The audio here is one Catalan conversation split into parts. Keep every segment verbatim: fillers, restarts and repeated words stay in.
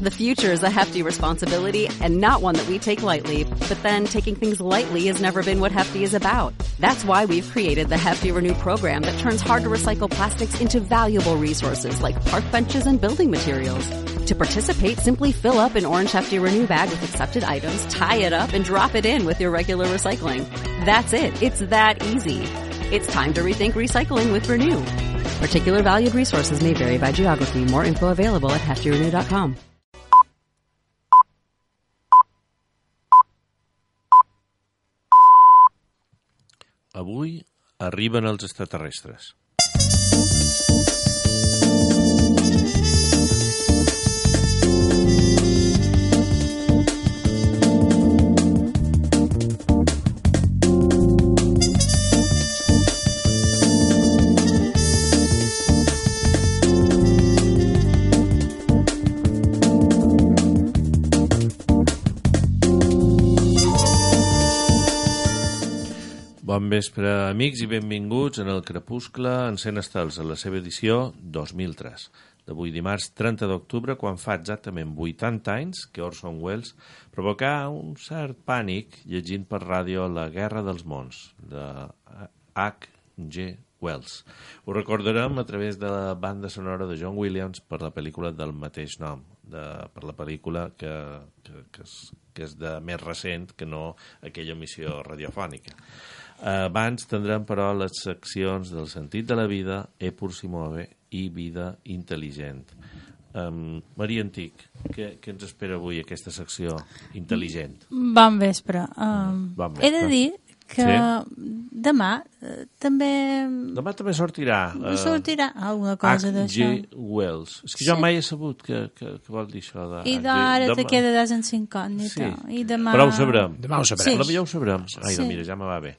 The future is a hefty responsibility and not one that we take lightly, but then taking things lightly has never been what Hefty is about. That's why we've created the Hefty Renew program that turns hard-to-recycle plastics into valuable resources like park benches and building materials. To participate, simply fill up an orange Hefty Renew bag with accepted items, tie it up, and drop it in with your regular recycling. That's it. It's that easy. It's time to rethink recycling with Renew. Particular valued resources may vary by geography. More info available at hefty renew dot com. Avui arriben els extraterrestres. Bon vespre, amics, i benvinguts en el Crepuscle en cent estels, a la seva edició dos mil tres, d'avui dimarts trenta d'octubre, quan fa exactament vuitanta anys que Orson Welles provocà un cert pànic llegint per ràdio La Guerra dels Mons, de H G Wells. Ho recordarem a través de la banda sonora de John Williams per la pel·lícula del mateix nom, de, per la pel·lícula que, que, que, és, que és de més recent que no aquella emissió radiofònica. Abans tindrem, però, les seccions del sentit de la vida, E pur si muove i vida intel·ligent. Um, Maria Antic, què, què ens espera avui aquesta secció intel·ligent? Bon vespre. Um, bon vespre. He de dir que sí? demà eh, també... Demà també sortirà... Uh, sortirà alguna cosa d'això. H G Wells. És que jo sí. mai he sabut que, que, que vol dir això de... I d'ara demà... te quedaràs en incògnita. Sí. I demà... Però ho sabrem. Demà ho sabrem. Sí. Però ja ho sabrem. Ai, sí. no, mira, ja me va bé.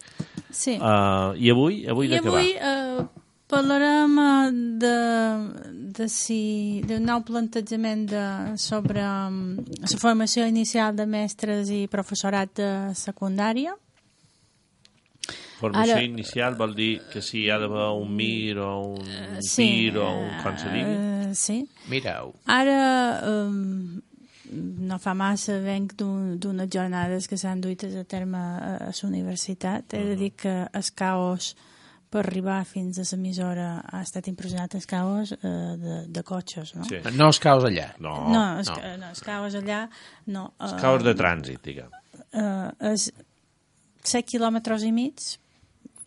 Sí. Uh, I avui? Avui de I què avui, va? Uh, parlarem de, de si, d'un nou plantejament de, sobre um, la formació inicial de mestres i professorat de secundària. Formació Ara, inicial vol dir que si hi ha d'haver un M I R o un uh, P sí, I R o un com se digui? Uh, sí. Mireu. Ara... Um, no fa massa venc d'unes jornades que s'han duites a terme a, a la universitat. He de dir que el caos per arribar fins a l'emissora ha estat impressionat, el caos eh, de, de cotxes, no? Sí. No es caos allà. No, no, el, no. no, el caos allà no. El Eh, caos de trànsit, diguem. Eh, és set quilòmetres i mig,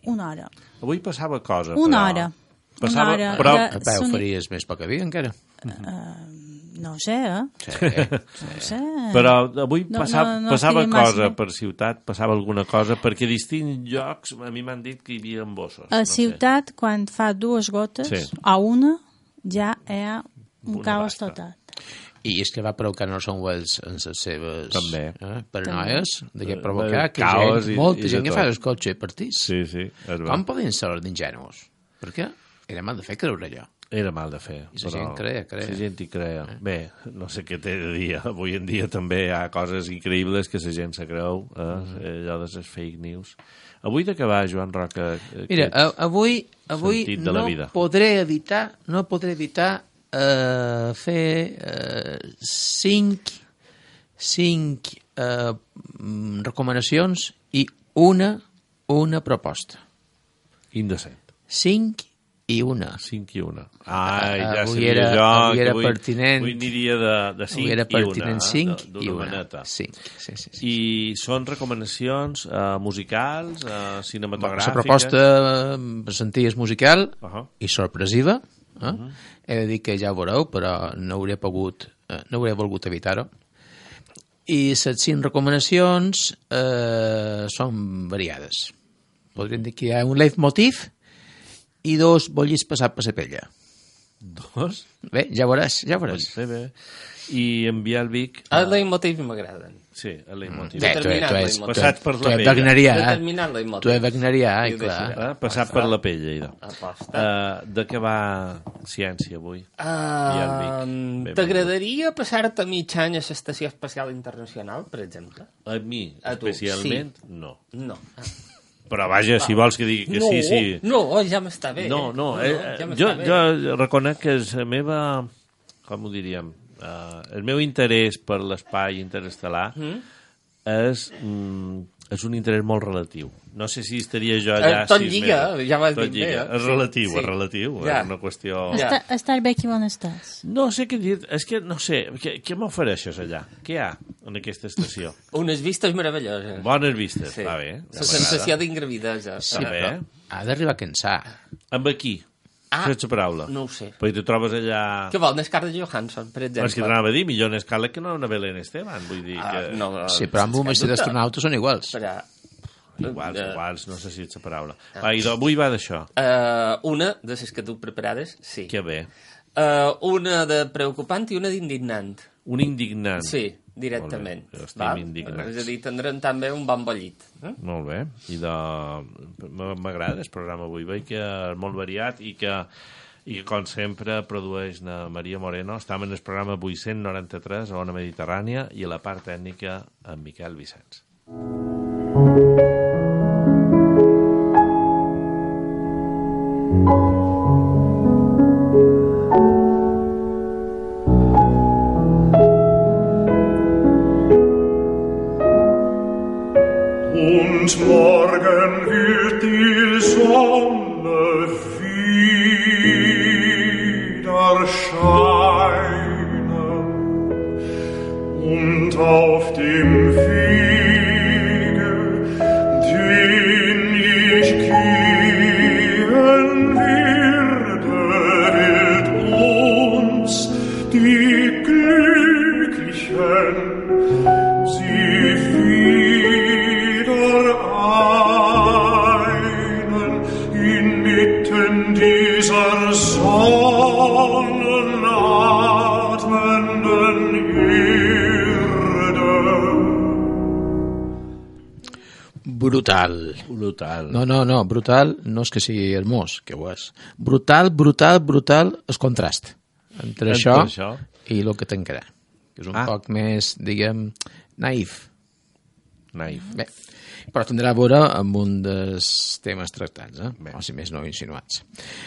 una hora. Avui passava cosa, Una però... hora. Passava, una hora. però... De, A peu soni... faries més poc a dia, encara. Uh, no ho sé, eh? Sí. No ho sé. Però avui No, passava, no, no passava estaria cosa massa. per ciutat, passava alguna cosa, perquè a distints llocs a mi m'han dit que hi havia embossos. A no ciutat, sé. Quan fa dues gotes, sí. a una, ja hi ha un Una caos basta. total. I és que va provocar Orson Welles en les seves També. eh, paranoies de que provocar de que caos gent, i- molta i gent de que tot. fa el cotxe partís. Sí, sí, és Com veritat. poden ser d'ingenus? Perquè era mal de fer creure allò. Era mal de fer. I la gent crea, crea. La gent hi crea. Eh? Bé, no sé què t'he de dir. Avui en dia també hi ha coses increïbles que la gent se creu, eh? allò de les fake news. Avui de què va, Joan Roca? Mira, a, avui, avui sentit de la no vida. podré evitar, no podré evitar eh, fer eh, cinc, cinc eh, mm, recomanacions i una, una proposta. Indecent. Cinc i una. Cinc i una. Ai, ja Avui sabia era- jo avui que era avui, pertinent. avui aniria de, de cinc Avui era i una. pertinent cinc eh, i d'una una. maneta. Cinc, sí, sí, sí. I són recomanacions uh, musicals, uh, La cinematogràfiques... proposta per sentir és musical Uh -huh. i sorpresiva. Eh? Uh -huh. He de dir que ja ho veureu, però no hauré pogut, eh, no hauré volgut evitar-ho. I les cinc recomanacions eh, són variades. Podríem dir que hi ha un leitmotiv i dos bollis passat per la pella. Dos? Bé, ja veuràs, ja veuràs. Bé, bé. I enviar el Vic... Els leitmotius m'agraden. Sí, el leitmotiv. Bé, tu, tu, és, tu, Passat per tu la és pella. wagnerià, eh? Determinat leitmotiv. Tu és wagnerià, I i ho clar. deixaré. Eh? Passat per la pell, idò. Aposta. Uh, de què va ciència avui? Uh, Vic. T'agradaria passar-te mig any a l'Estació Espacial Internacional, per exemple? A mi, A tu, especialment, no. No. Però vaja, si vols que digui que no, sí, sí... No, ja m'està bé. No, no, eh? eh, ja jo, m'està bé. jo reconec que és la meva, com ho diríem, Uh, el meu interès per l'espai interestel·lar mm? és... Mm, és un interès molt relatiu. No sé si estaria jo allà... Eh, tot sis lliga, mesos. ja m'has tot dit lliga. bé. Eh? És relatiu, sí. és relatiu. Ja. És una qüestió... Ja. Està, estar bé aquí on estàs. No sé què dir. És que, no sé, què, què m'ofereixes allà? Què hi ha en aquesta estació? Unes vistes meravelloses. Bones vistes, Sí. va bé. La sensació d'ingravidesa. Sí, bé. Ha d'arribar a cansar. Amb aquí, Ah, sense paraula. no ho sé. Perquè tu trobes allà... Què vol, Scarlett Johansson, per exemple? És que t'anava a dir, millor en escala que no una Belén Esteban. Vull dir que... Ah, no, Sí, però amb un sense mestre cap dubte. d'astronauta són iguals. Però, Iguals, eh, iguals, no sé si ets la paraula. Va, i avui va d'això. eh, una de les que tu preparades, sí. Que bé. Eh, una de preocupant i una d'indignant. Un indignant. Sí, directament. Molt bé, estem val? indignats. És a dir, tindrem també un bon bollit. Eh? Molt bé. I de... m- m'agrada el programa avui. Veig que és molt variat i que, i que com sempre, produeix na Maria Moreno. Estem en el programa vuit-cents noranta-tres a Ona Mediterrània i a la part tècnica en Miquel Vicenç. Und morgen wird die Sonne wieder scheinen und auf dem Wege, den ich gehen werde, wird uns die Glücklichen sie wieder einen inmitten dieser sonnenatmenden Erde. Brutal. Brutal. No, no, no, brutal no és que sigui hermós, que ho és. Brutal, brutal, brutal és contrast entre Entre això, això. i el que tancarà, que és un Ah. poc més, diguem, naïf. Naif. Bé, però tindrà a veure amb un dels temes tractats, eh? Bé. O si més no insinuats.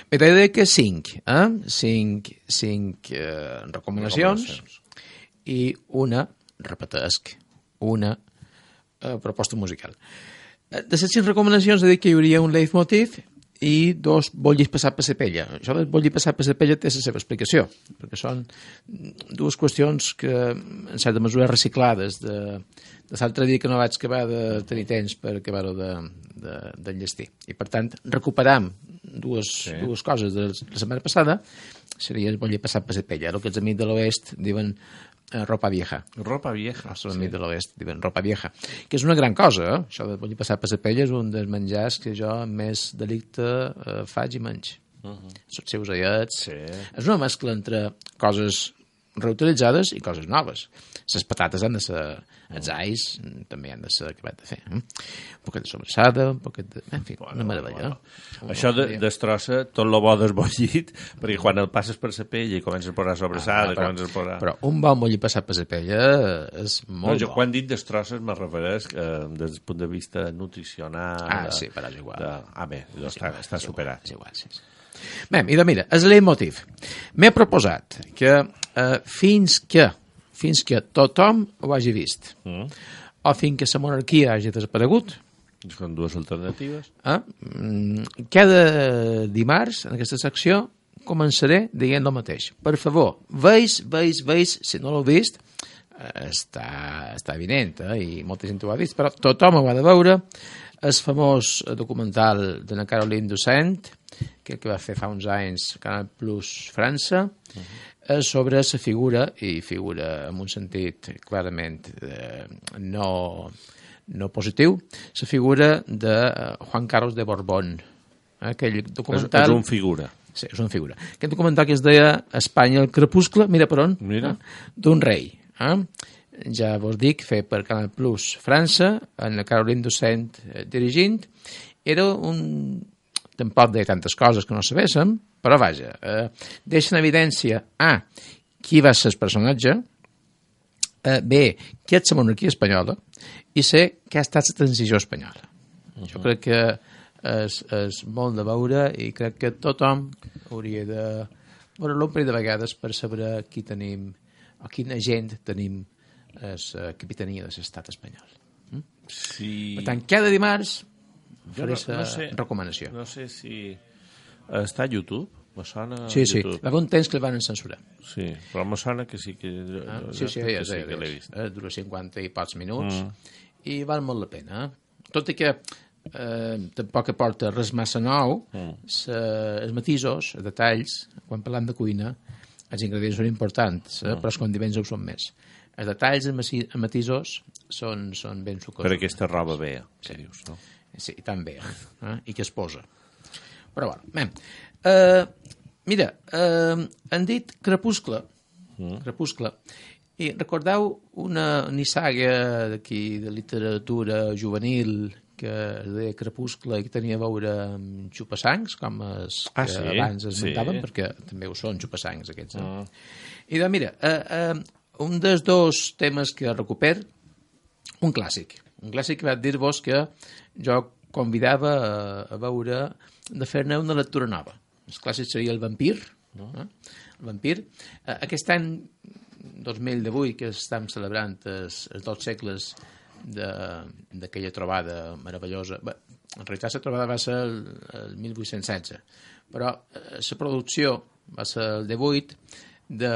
Bé, t'he de dir que cinc, eh? Cinc, cinc eh, recomanacions, Recomanacions. i una, repetesc, una eh, proposta musical. Eh, De les cinc recomanacions he dit que hi hauria un leitmotiv i dos bollis passat per la pella. Això del bolli passat per la pella té la seva explicació, perquè són dues qüestions que, en certa mesura, reciclades de, de l'altre dia que no vaig acabar de tenir temps per acabar-ho de, de, d'enllestir. I, per tant, recuperam dues, Sí. dues coses de la setmana passada, seria el bolli passat per la pella. El que els amics de l'oest diuen eh, ropa vieja. Ropa vieja. Els nostres amics de l'oest diuen ropa vieja, que és una gran cosa, eh? Això de bolli passat per la pella és un dels menjars que jo amb més delicte eh, faig i menys. Uh -huh. Els seus aiets. Sí. És una mescla entre coses reutilitzades i coses noves. Les patates han de ser... Els ais també han de ser acabat de fer. Eh? Un poquet de sobrassada, un poquet de... En fi, una meravella. Bueno. Això de, destrossa tot lo bo del bollit, perquè quan el passes per la pell i comences a posar sobrassada, Ah, però, comences a posar... però un bon bolli passat per la pella és no, molt jo bo. quan dic destrosses me refereix eh, des del punt de vista nutricional... Ah, de, sí, però és igual. De... Ah, bé, És està, igual, està és superat. Igual, és igual, sí, sí. Bé, mira, mira, és leitmotiv. M'he proposat que eh, fins que fins que tothom ho hagi vist Mm. o fins que la monarquia hagi desaparegut, Són dues alternatives. eh, mm, cada dimarts en aquesta secció començaré dient el mateix. Per favor, veis, veis, veis, si no l'heu vist, eh, està, està evident, eh, i molta gent ho ha vist, però tothom ho ha de veure. El famós documental de la Caroline Dussaint, que, que va fer fa uns anys Canal Plus França, uh-huh. és sobre la figura, i figura en un sentit clarament eh, no, no positiu, la figura de eh, Juan Carlos de Borbón. Eh, aquell documental... És, és un figura. Sí, és una figura. Aquest documental que es deia Espanya el crepuscle, mira per on, Mira. eh? d'un rei. Eh? Ja vos dic, fer per Canal Plus França, en la Caroline Dussaint eh, dirigint, era un... tampoc de tantes coses que no sabéssim, però vaja, eh, deixa en evidència A, qui va ser el personatge, eh, B, què és la monarquia espanyola, i C, què ha estat la transició espanyola. Uh-huh. Jo crec que és, és molt de veure i crec que tothom hauria de veure-lo un parell de vegades per saber qui tenim o quina gent tenim a la capitania de l'estat espanyol. Mm? Sí. Per tant, cada dimarts faré no, la no sé, recomanació. No sé si... Està a YouTube? Me sona Sí, sí. YouTube. Va haver un temps que el van censurar. Sí, però me sona que sí que... Ah, sí, sí, ja, que sí ja, que ja, l'he vist. ja. Dura cinquanta i pocs minuts Mm. i val molt la pena. Eh? Tot i que eh, tampoc aporta res massa nou, Mm. sa, els matisos, els detalls, quan parlam de cuina, els ingredients són importants, eh? Mm. però els condiments ho són més. Els detalls, els masi- els matisos, són, són ben sucosos. Per aquesta roba bé, que dius, no? Sí, tan bé, eh? I que es posa. Però bueno, bé. Uh, mira, uh, han dit Crepuscle, mm. Crepuscle, i recordeu una nissaga d'aquí de literatura juvenil que es deia Crepuscle i que tenia a veure amb xupassancs, com els Ah, que sí? abans esmentaven, Sí. perquè també ho són, xupassancs, aquests. Eh? Mm. I doncs, mira, uh, uh, un dels dos temes que recuper, un clàssic. Un clàssic que vaig dir-vos que jo convidava a, a veure de fer-ne una lectura nova. El clàssic seria El vampir. No? Eh? El vampir. Eh, aquest any dos mil divuit, que estem celebrant els, els dos segles d'aquella trobada meravellosa. Bé, en realitat la trobada va ser el, el mil vuit-cents setze, però eh, la producció va ser el divuit de,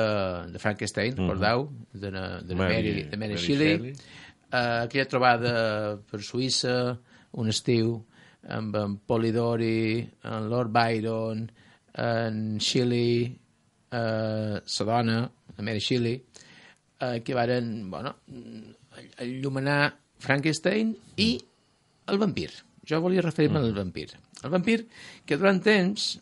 de Frankenstein, recordeu? De, de, Mary- Mary, de Mary Mary Shelley. Shelley. Uh, aquella trobada per Suïssa, un estiu, amb en Polidori, en Lord Byron, en Shelley, uh, sa dona, la Mary Shelley, uh, que varen, bueno, enllumenar Frankenstein i el vampir. Jo volia referir-me al vampir. El vampir, que durant temps...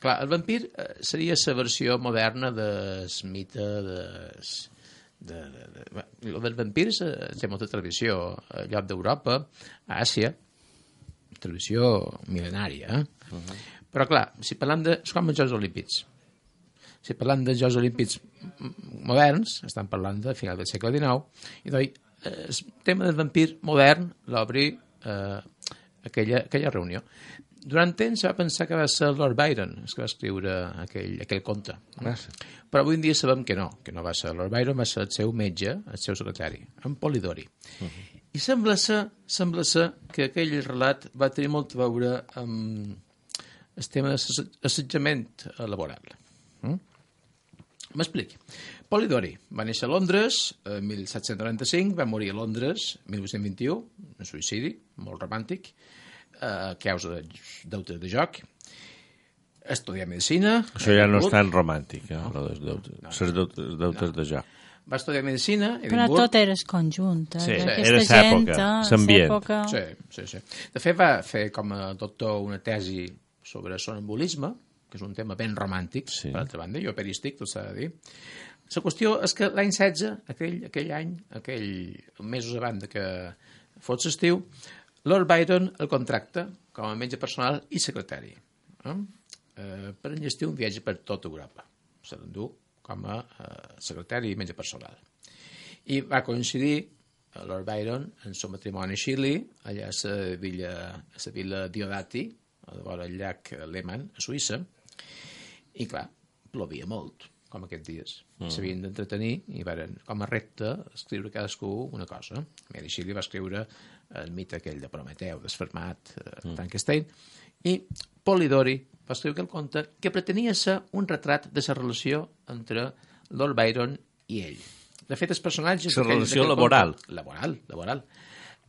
Clar, el vampir uh, seria la versió moderna del mite des... De, de, de, de, dels vampirs eh, té molta tradició a lloc d'Europa, a Àsia, tradició mil·lenària. Eh? Uh -huh. Però, clar, si parlam de... És com els Jocs Olímpics. Si parlam dels Jocs Olímpics moderns, estan parlant de final del segle dinou, i doncs el tema del vampir modern l'obri eh, aquella, aquella reunió. Durant temps va pensar que va ser Lord Byron el que va escriure aquell, aquell conte. Ah, sí. Però avui en dia sabem que no, que no va ser Lord Byron, va ser el seu metge, el seu secretari, en Polidori. Uh -huh. I sembla ser, sembla ser que aquell relat va tenir molt a veure amb el tema d'assetjament laboral. Mm? M'expliqui. Polidori va néixer a Londres en mil set-cents noranta-cinc, va morir a Londres en mil vuit-cents vint-i-u, un suïcidi molt romàntic, a causa de deutes de joc. Estudiar medicina. Això ja no és tan romàntic, eh? No. Les deutes, no, no. deutes, deutes no. de joc. Va estudiar medicina. Però tot era conjunt. Eh? Sí, Aquesta era l'època, l'ambient. Sí, sí, sí. De fet, va fer com a doctor una tesi sobre sonambulisme, que és un tema ben romàntic, sí. Per altra banda, i operístic, tot s'ha de dir. La qüestió és que l'any setze, aquell, aquell any, aquell mesos abans que fos l'estiu, Lord Byron el contracta com a metge personal i secretari. Eh? Eh, per enllestir un viatge per tota Europa. Se l'endú com a eh, secretari i metge personal. I va coincidir Lord Byron en el matrimoni a Shelley, allà a la villa, a la villa Diodati, a la vora del llac Lehmann, a Suïssa, i clar, plovia molt, com aquests dies. Mm. S'havien d'entretenir i van, com a repte, escriure cadascú una cosa. Mary Shelley va escriure el mite aquell de Prometeu, desfermat, eh, mm. Frankenstein, i Polidori va escriure el conte que pretenia ser un retrat de la relació entre Lord Byron i ell. De fet, els personatges... La relació laboral. Conte, laboral, laboral.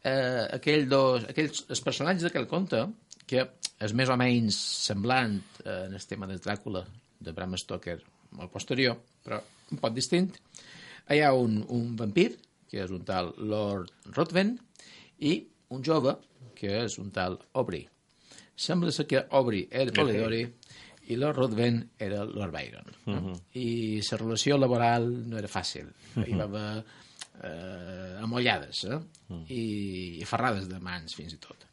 Eh, aquell dos, aquells, els personatges d'aquell conte, que és més o menys semblant eh, en el tema del Dràcula, de Bram Stoker, molt posterior, però un poc distint. Hi ha un, un vampir, que és un tal Lord Ruthven, i un jove, que és un tal Aubrey. Sembla ser que Aubrey era Polidori i Lord Ruthven era Lord Byron. No? Uh -huh. I la relació laboral no era fàcil. Uh -huh. Hi va haver eh, amollades, eh? Uh -huh. I, i ferrades de mans, fins i tot.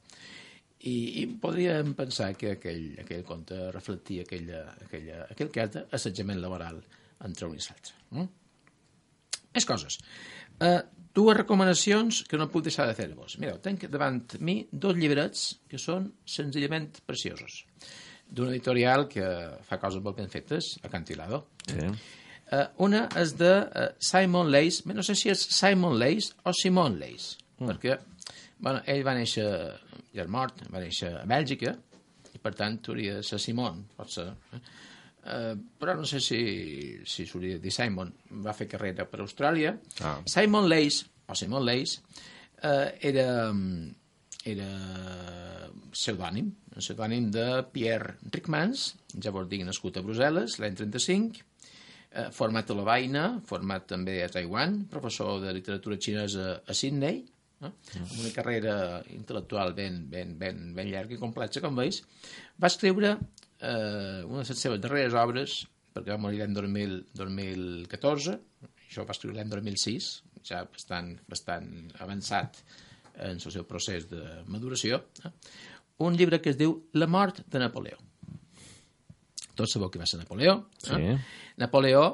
I, i podríem pensar que aquell, aquell conte reflectia aquella, aquella, aquell que era assetjament laboral entre un i l'altre. No? Més coses. Uh, dues recomanacions que no puc deixar de fer-vos. Mireu, tenc davant mi dos llibrets que són senzillament preciosos. D'una editorial que fa coses molt ben fetes, Acantilado. Sí. Uh, una és de uh, Simon Leys, no sé si és Simon Leys o Simon Leys, mm. perquè bueno, ell va néixer, ja és mort, va néixer a Bèlgica, i per tant hauria de ser Simon, pot ser. Eh? Uh, però no sé si, si s'hauria de dir Simon. Va fer carrera per Austràlia. Ah. Simon Leys, o Simon Leys, uh, era... era pseudònim, un pseudònim de Pierre Rickmans, ja vos dic, nascut a Brussel·les, l'any trenta-cinc, eh, format a la Vaina, format també a Taiwan, professor de literatura xinesa a Sydney, eh, amb una carrera intel·lectual ben, ben, ben, ben llarga i complexa, com veus. Va escriure eh, una de les seves darreres obres, perquè va morir l'any dos mil catorze, això va escriure l'any dos mil sis, ja bastant, bastant avançat en el seu procés de maduració, eh? Un llibre que es diu La mort de Napoleó. Tots sabeu qui va ser Napoleó. Eh? Sí. Napoleó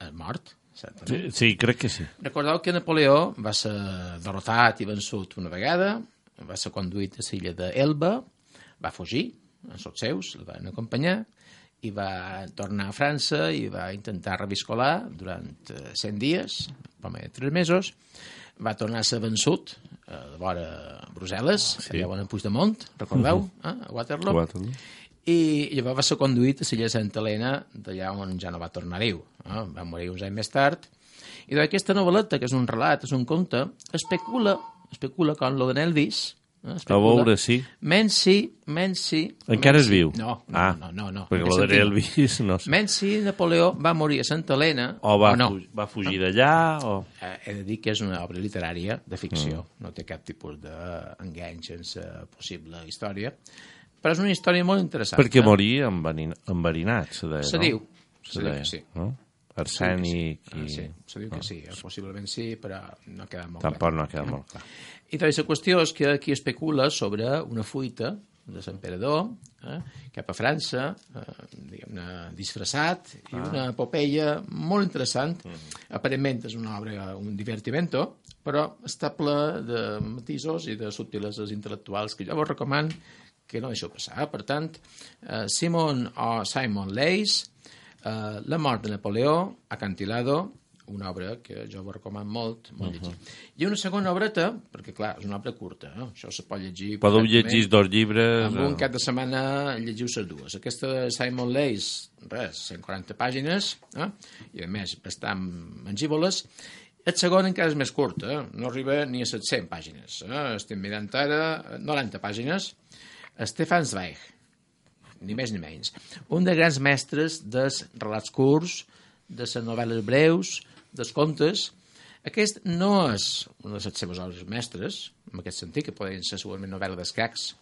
és mort, certament. Sí, sí, crec que sí. Recordeu que Napoleó va ser derrotat i vençut una vegada, va ser conduït a l'illa d'Elba, va fugir, els seus el van acompanyar, i va tornar a França i va intentar reviscolar durant cent dies, per més de tres mesos. Va tornar a ser vençut a la vora Brussel·les, sí. Allà on a Puigdemont, recordeu, uh-huh. eh? a Waterloo. Waterloo. I llavors va ser conduït a l'illa Santa Helena, d'allà on ja no va tornar viu. Eh? Va morir uns anys més tard. I d'aquesta novel·leta, que és un relat, és un conte, especula, especula com lo de Nelvis, eh? A veure, sí. Menci, Menci... Encara Menci, és viu? No, no, ah, no, no. no perquè lo de Nelvis, no sé. Menci, Napoleó, va morir a Santa Helena... O va, o no. fu va fugir d'allà, o... Eh, he de dir que és una obra literària de ficció, mm. no té cap tipus d'engany sense possible història, però és una història molt interessant. Perquè morir enverinat, se deia, se no? diu, se diu que sí. No? Arsènic sí. i... Ah, sí, se diu que sí, possiblement sí, però no ha quedat molt Tampoc clar. no ha quedat molt clar. I doncs la qüestió és que aquí especula sobre una fuita de l'emperador eh, cap a França, eh, diguem-ne, disfressat, i ah. una epopeia molt interessant. Mm. Aparentment és una obra, un divertimento, però està ple de matisos i de subtileses intel·lectuals que jo vos recomano que no deixeu passar. Per tant, eh, Simon o Simon Leys, eh, La mort de Napoleó, Acantilado, una obra que jo vos recomano molt, molt llegir. Uh -huh. I una segona obreta, perquè clar, és una obra curta, eh? Això se pot llegir... Podeu llegir dos llibres... En un cap de setmana llegiu les dues. Aquesta de Simon Leys, res, cent quaranta pàgines, eh? I a més bastant mangívoles. El segon encara és més curt, eh? No arriba ni a set-centes pàgines. Eh? Estem mirant ara noranta pàgines. Stefan Zweig, ni més ni menys. Un dels grans mestres dels relats curts, de les novel·les breus, dels contes. Aquest no és una de les seves obres mestres, en aquest sentit, que poden ser segurament novel·la d'escacs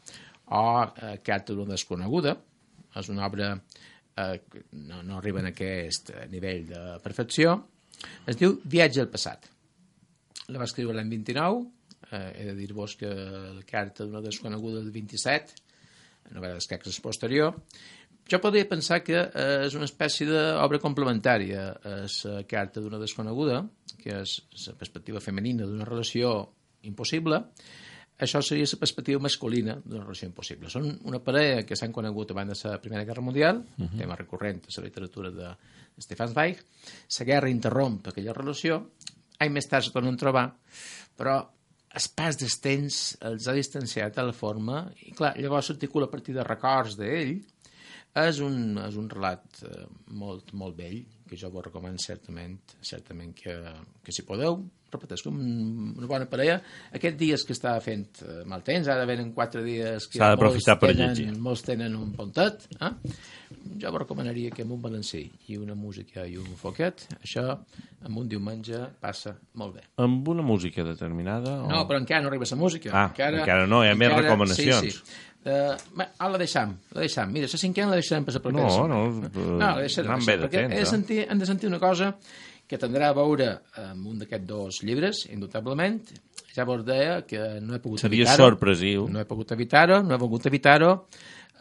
o eh, Carta d'una desconeguda. És una obra eh, que no, no arriba a aquest nivell de perfecció. Es diu Viatge al passat. La va escriure l'any vint-i-nou. Eh, he de dir-vos que la Carta d'una desconeguda del vint-i-set, la novel·la d'escacs és posterior. Jo podria pensar que eh, és una espècie d'obra complementària a la Carta d'una desconeguda, que és la perspectiva femenina d'una relació impossible. Això seria la perspectiva masculina d'una relació impossible. Són una parella que s'han conegut abans de la Primera Guerra Mundial, uh -huh. tema recurrent a la literatura de Stefan Zweig. La guerra interromp aquella relació, anys més tard se tornen a trobar, però el pas del temps els ha distanciat de la forma, i clar, llavors s'articula a partir de records d'ell. És un, és un relat eh, molt, molt vell, que jo vos recomano certament, certament que, que si podeu, repeteixo, una bona parella. Aquests dies que està fent eh, mal temps, ara venen quatre dies que s'ha d'aprofitar per tenen, llegir. Molts tenen un pontet. Eh? Jo vos recomanaria que amb un balancí i una música i un foquet, això amb un diumenge passa molt bé. Amb una música determinada? O... No, però encara no arriba la música. Ah, encara, encara no, hi ha encara, més recomanacions. Sí, sí. Uh, bé, ara la deixam, la deixam. Mira, la cinquena la deixarem per la propera no, setmana. No, no, la deixarem. No, bé de temps, he de sentir, hem de sentir una cosa que tindrà a veure amb un d'aquests dos llibres, indubtablement. Ja vos deia que no he pogut Seria evitar-ho. Seria sorpresiu. No he pogut evitar-ho, no he pogut evitar-ho.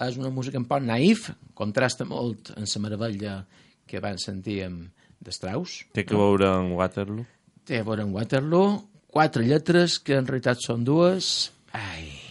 És una música un poc naïf, contrasta molt amb la meravella que van sentir amb de Strauss. Té que veure amb Waterloo. Té a veure amb Waterloo. Quatre lletres que en realitat són dues. Ai...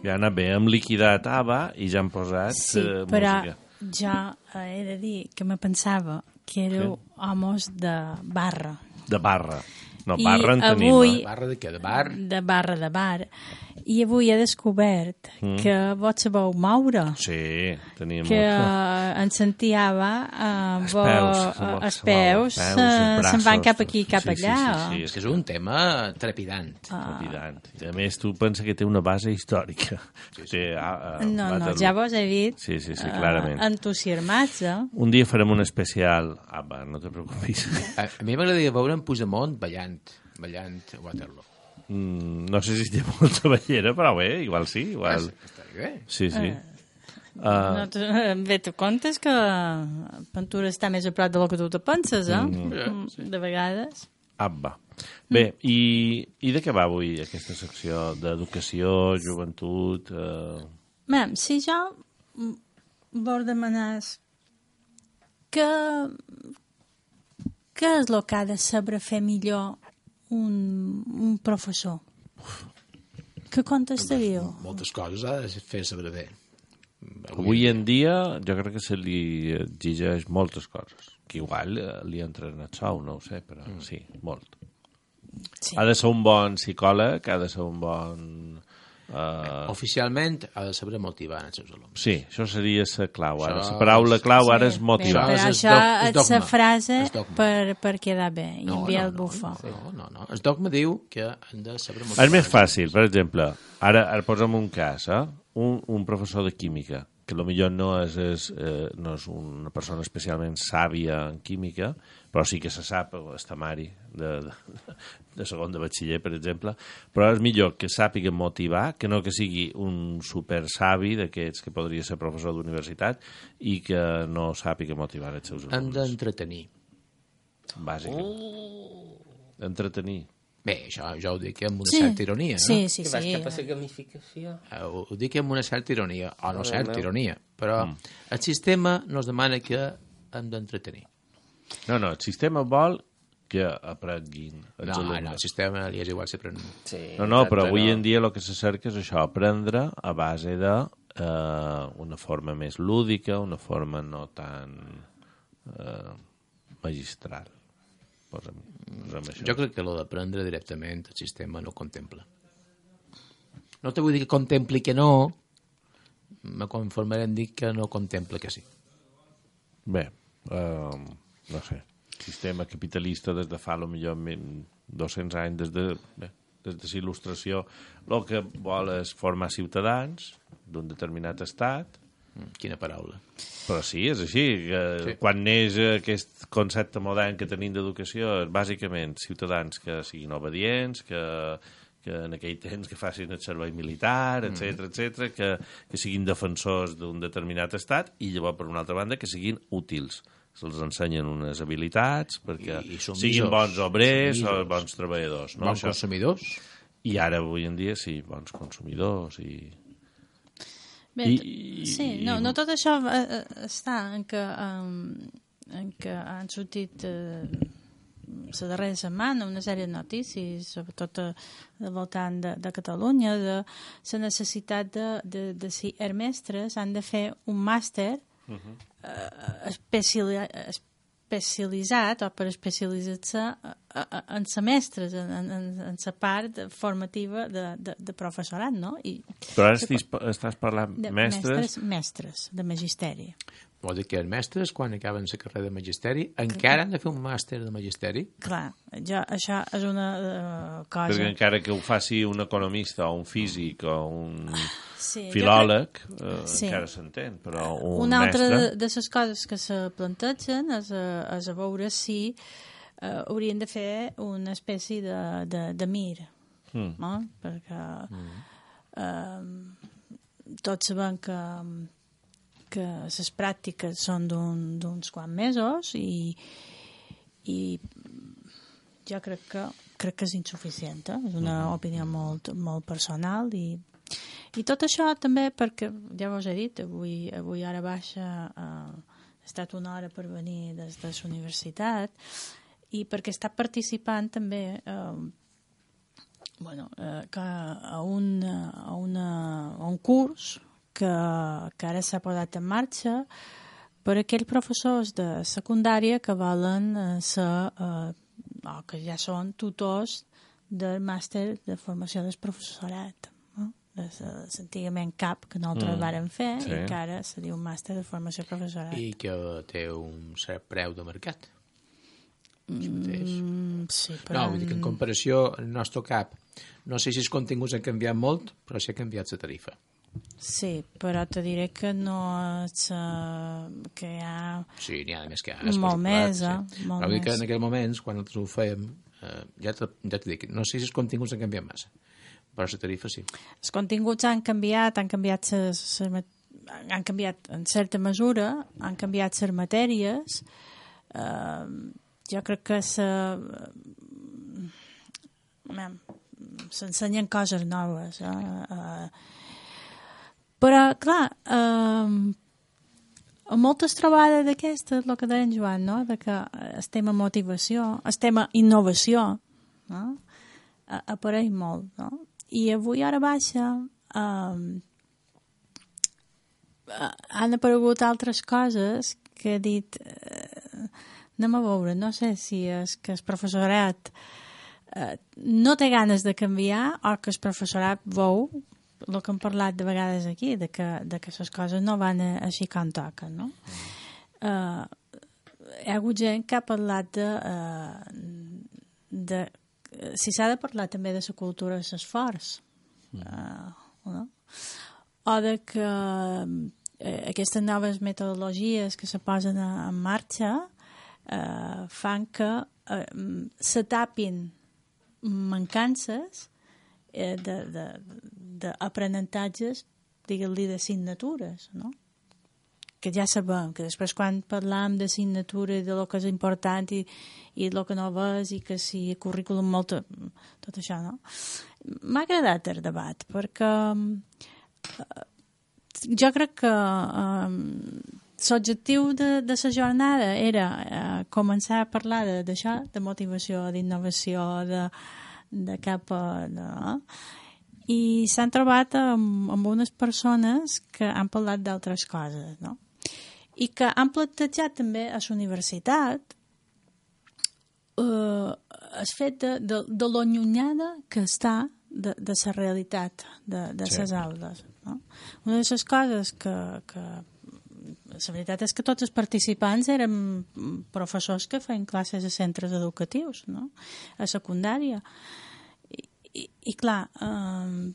Ja anat bé, hem liquidat A B B A i ja han posat Sí, eh, però música. jo eh, he de dir que me pensava que éreu Sí. homes de barra. De barra. No, I barra en tenim. avui- eh? Barra de què? De bar? De barra de bar. I avui he descobert Mm. que vos sabeu moure. Sí, tenim... Que eh, en Santiago eh, Els vo- peus, eh, se mo- els se peus mouen, eh, peus, els se'n van braços, cap aquí i cap sí, sí, allà. sí, sí, És que és un tema trepidant. Trepidant. I a més, tu pensa que té una base històrica. Sí, sí. Té, ah, ah, No, no, Waterloo. ja vos he dit Sí, sí, sí, eh, clarament. entusiasmats, eh? Un dia farem un especial... Ah, va, no te preocupis. A, a mi m'agradaria veure en Puigdemont ballant, ballant a Waterloo. Mm, no sé si té molta ballera, però bé, igual sí, igual... Està bé. Sí, sí. Uh, no, tu, bé, tu comptes que Ventura està més a prop del que tu te penses, eh? Mm, sí. De vegades. Ah, va. Bé, i, i de què va avui aquesta secció d'educació, joventut... Eh... Bé, si jo vol demanar que què és el que ha de saber fer millor un, un professor? Què contestaríeu? Moltes coses ha de fer saber bé. Avui en dia jo crec que se li exigeix moltes coses, que igual eh, li entren a sou, no ho sé, però mm. sí, molt. Sí. Ha de ser un bon psicòleg, ha de ser un bon... Uh... Oficialment ha de saber motivar els seus alumnes. Sí, això seria la clau. Ara. Això La paraula clau Sí, ara és motivar. Però Això és això doc- és és dogma. la frase És dogma. per, per quedar bé i No, enviar no, el no, bufó. no, no, no. El dogma diu que han de saber motivar. És més fàcil, per exemple, ara, ara posem un cas, eh? un, un professor de química, que potser no és, és, eh, no és una persona especialment sàvia en química, però sí que se sap el temari de, de, de segon de batxiller, per exemple, però és millor que sàpiga motivar, que no que sigui un super savi d'aquests que podria ser professor d'universitat i que no sàpiga motivar els seus Han alumnes. d'entretenir. Bàsicament. Oh. Entretenir. Bé, això jo ho dic amb una Sí, certa ironia, no? sí, sí, Que vas sí. cap a la gamificació. Eh, Ho, ho dic amb una certa ironia, o no Déu certa meu. ironia, però el sistema nos demana que hem d'entretenir. No, no, el sistema vol que aprenguin els No, alumnes. no, el sistema li és igual si aprenen. Sí, No, no, però exacte, avui no. en dia el que se cerca és això, aprendre a base de eh, una forma més lúdica, una forma no tan eh, magistral. Posa'm, posa'm això. Jo crec que lo d'aprendre directament el sistema no contempla. No te vull dir que contempli que no, me conformaré en dir que no contempla que sí. Bé, eh, no sé, sistema capitalista des de fa lo millor dos-cents anys, des de, bé, des de la il·lustració, el que vol és formar ciutadans d'un determinat estat. Mm, Quina paraula. Però sí, és així. Que Sí. Quan neix aquest concepte modern que tenim d'educació és bàsicament ciutadans que siguin obedients, que, que en aquell temps que facin el servei militar, etcètera, etcètera, que, que siguin defensors d'un determinat estat i llavors, per una altra banda, que siguin útils. Se'ls ensenyen unes habilitats perquè I- i submisors. siguin bons obrers o Submisors. bons treballadors. No? Bons Això. consumidors? I ara, avui en dia, sí, bons consumidors i... Bé, I- sí, no, no tot això eh, eh, està en que, um, en que han sortit eh, la darrera setmana una sèrie de notícies, sobretot eh, al voltant de, de Catalunya, de la necessitat de, de, de si els mestres han de fer un màster uh -huh. eh, especiali especialitzat o per especialitzar-se en semestres, en, en, en la part formativa de, de, de professorat, no? I Però ara estàs, estàs parlant de mestres... mestres, mestres de magisteri. Vol dir que els mestres, quan acaben la carrera de magisteri, encara han de fer un màster de magisteri? Clar, jo, això és una uh, cosa... Perquè encara que ho faci un economista o un físic o un Sí, jo filòleg, eh, Sí. encara s'entén, però un Una altra mestre... de, de les coses que se plantegen és a, és a veure si uh, haurien de fer una espècie de, de, de mir, Mm. no? Perquè uh, tots sabem que, que les pràctiques són d'un- d'uns quants mesos i, i jo crec que, crec que és insuficient, eh? És una opinió molt, molt personal i I tot això també perquè, ja vos he dit, avui, avui ara baixa, eh, ha estat una hora per venir des de la universitat i perquè està participant també eh, bueno, eh, que a, un, a, una, a un curs que, que ara s'ha posat en marxa per a aquells professors de secundària que volen eh, ser, eh, o que ja són tutors del màster de formació del professorat. No? Antigament C A P, que nosaltres mm. vàrem fer, sí. I que ara se diu màster de formació professorat. I que té un cert preu de mercat. Mm, sí, però... No, vull dir que en comparació al nostre C A P, no sé si els continguts han canviat molt, però sí ha canviat la tarifa. Sí, però te diré que no és... Uh, que hi ha... Sí, n'hi ha més que... Molt més, eh? Sí. Molt però vull dir que més. en aquells moments, quan nosaltres ho fèiem, eh, ja te, ja te dic, no sé si els continguts han canviat massa, però la tarifa sí. Els continguts han canviat, han canviat ses, ses, han canviat en certa mesura, han canviat les matèries, eh, jo crec que se, s'ensenyen coses noves. Eh? Uh, però, clar, uh, moltes trobades d'aquestes, el que deia en Joan, no? De que el tema motivació, el tema innovació, no? uh, apareix molt. No? I avui, hora baixa, uh, han aparegut altres coses que he dit... Uh, anem a veure, no sé si és que el professorat eh, no té ganes de canviar o que el professorat veu el que hem parlat de vegades aquí, de que, de que les coses no van així com toquen, no? Eh, hi ha hagut gent que ha parlat de... Eh, de si s'ha de parlar també de la cultura de l'esforç, eh, no? O de que eh, aquestes noves metodologies que se posen en marxa Uh, fan que uh, se tapin mancances eh, d'aprenentatges, digues-li, d'assignatures, no? Que ja sabem, que després quan parlam d'assignatura i de lo que és important i, i el que no és i que si el currículum molt... tot això, no? M'ha agradat el debat, perquè uh, jo crec que uh, l'objectiu de, de la jornada era eh, començar a parlar d'això, de, de motivació, d'innovació, de, de cap a... No? I s'han trobat amb, amb unes persones que han parlat d'altres coses, no? I que han plantejat també a la universitat eh, el fet de, de, de lo allunyada que està de, de la realitat de, de les sí. aules. No? Una de les coses que... que la veritat és que tots els participants eren professors que feien classes a centres educatius, no? A secundària. I, i, i clar, eh,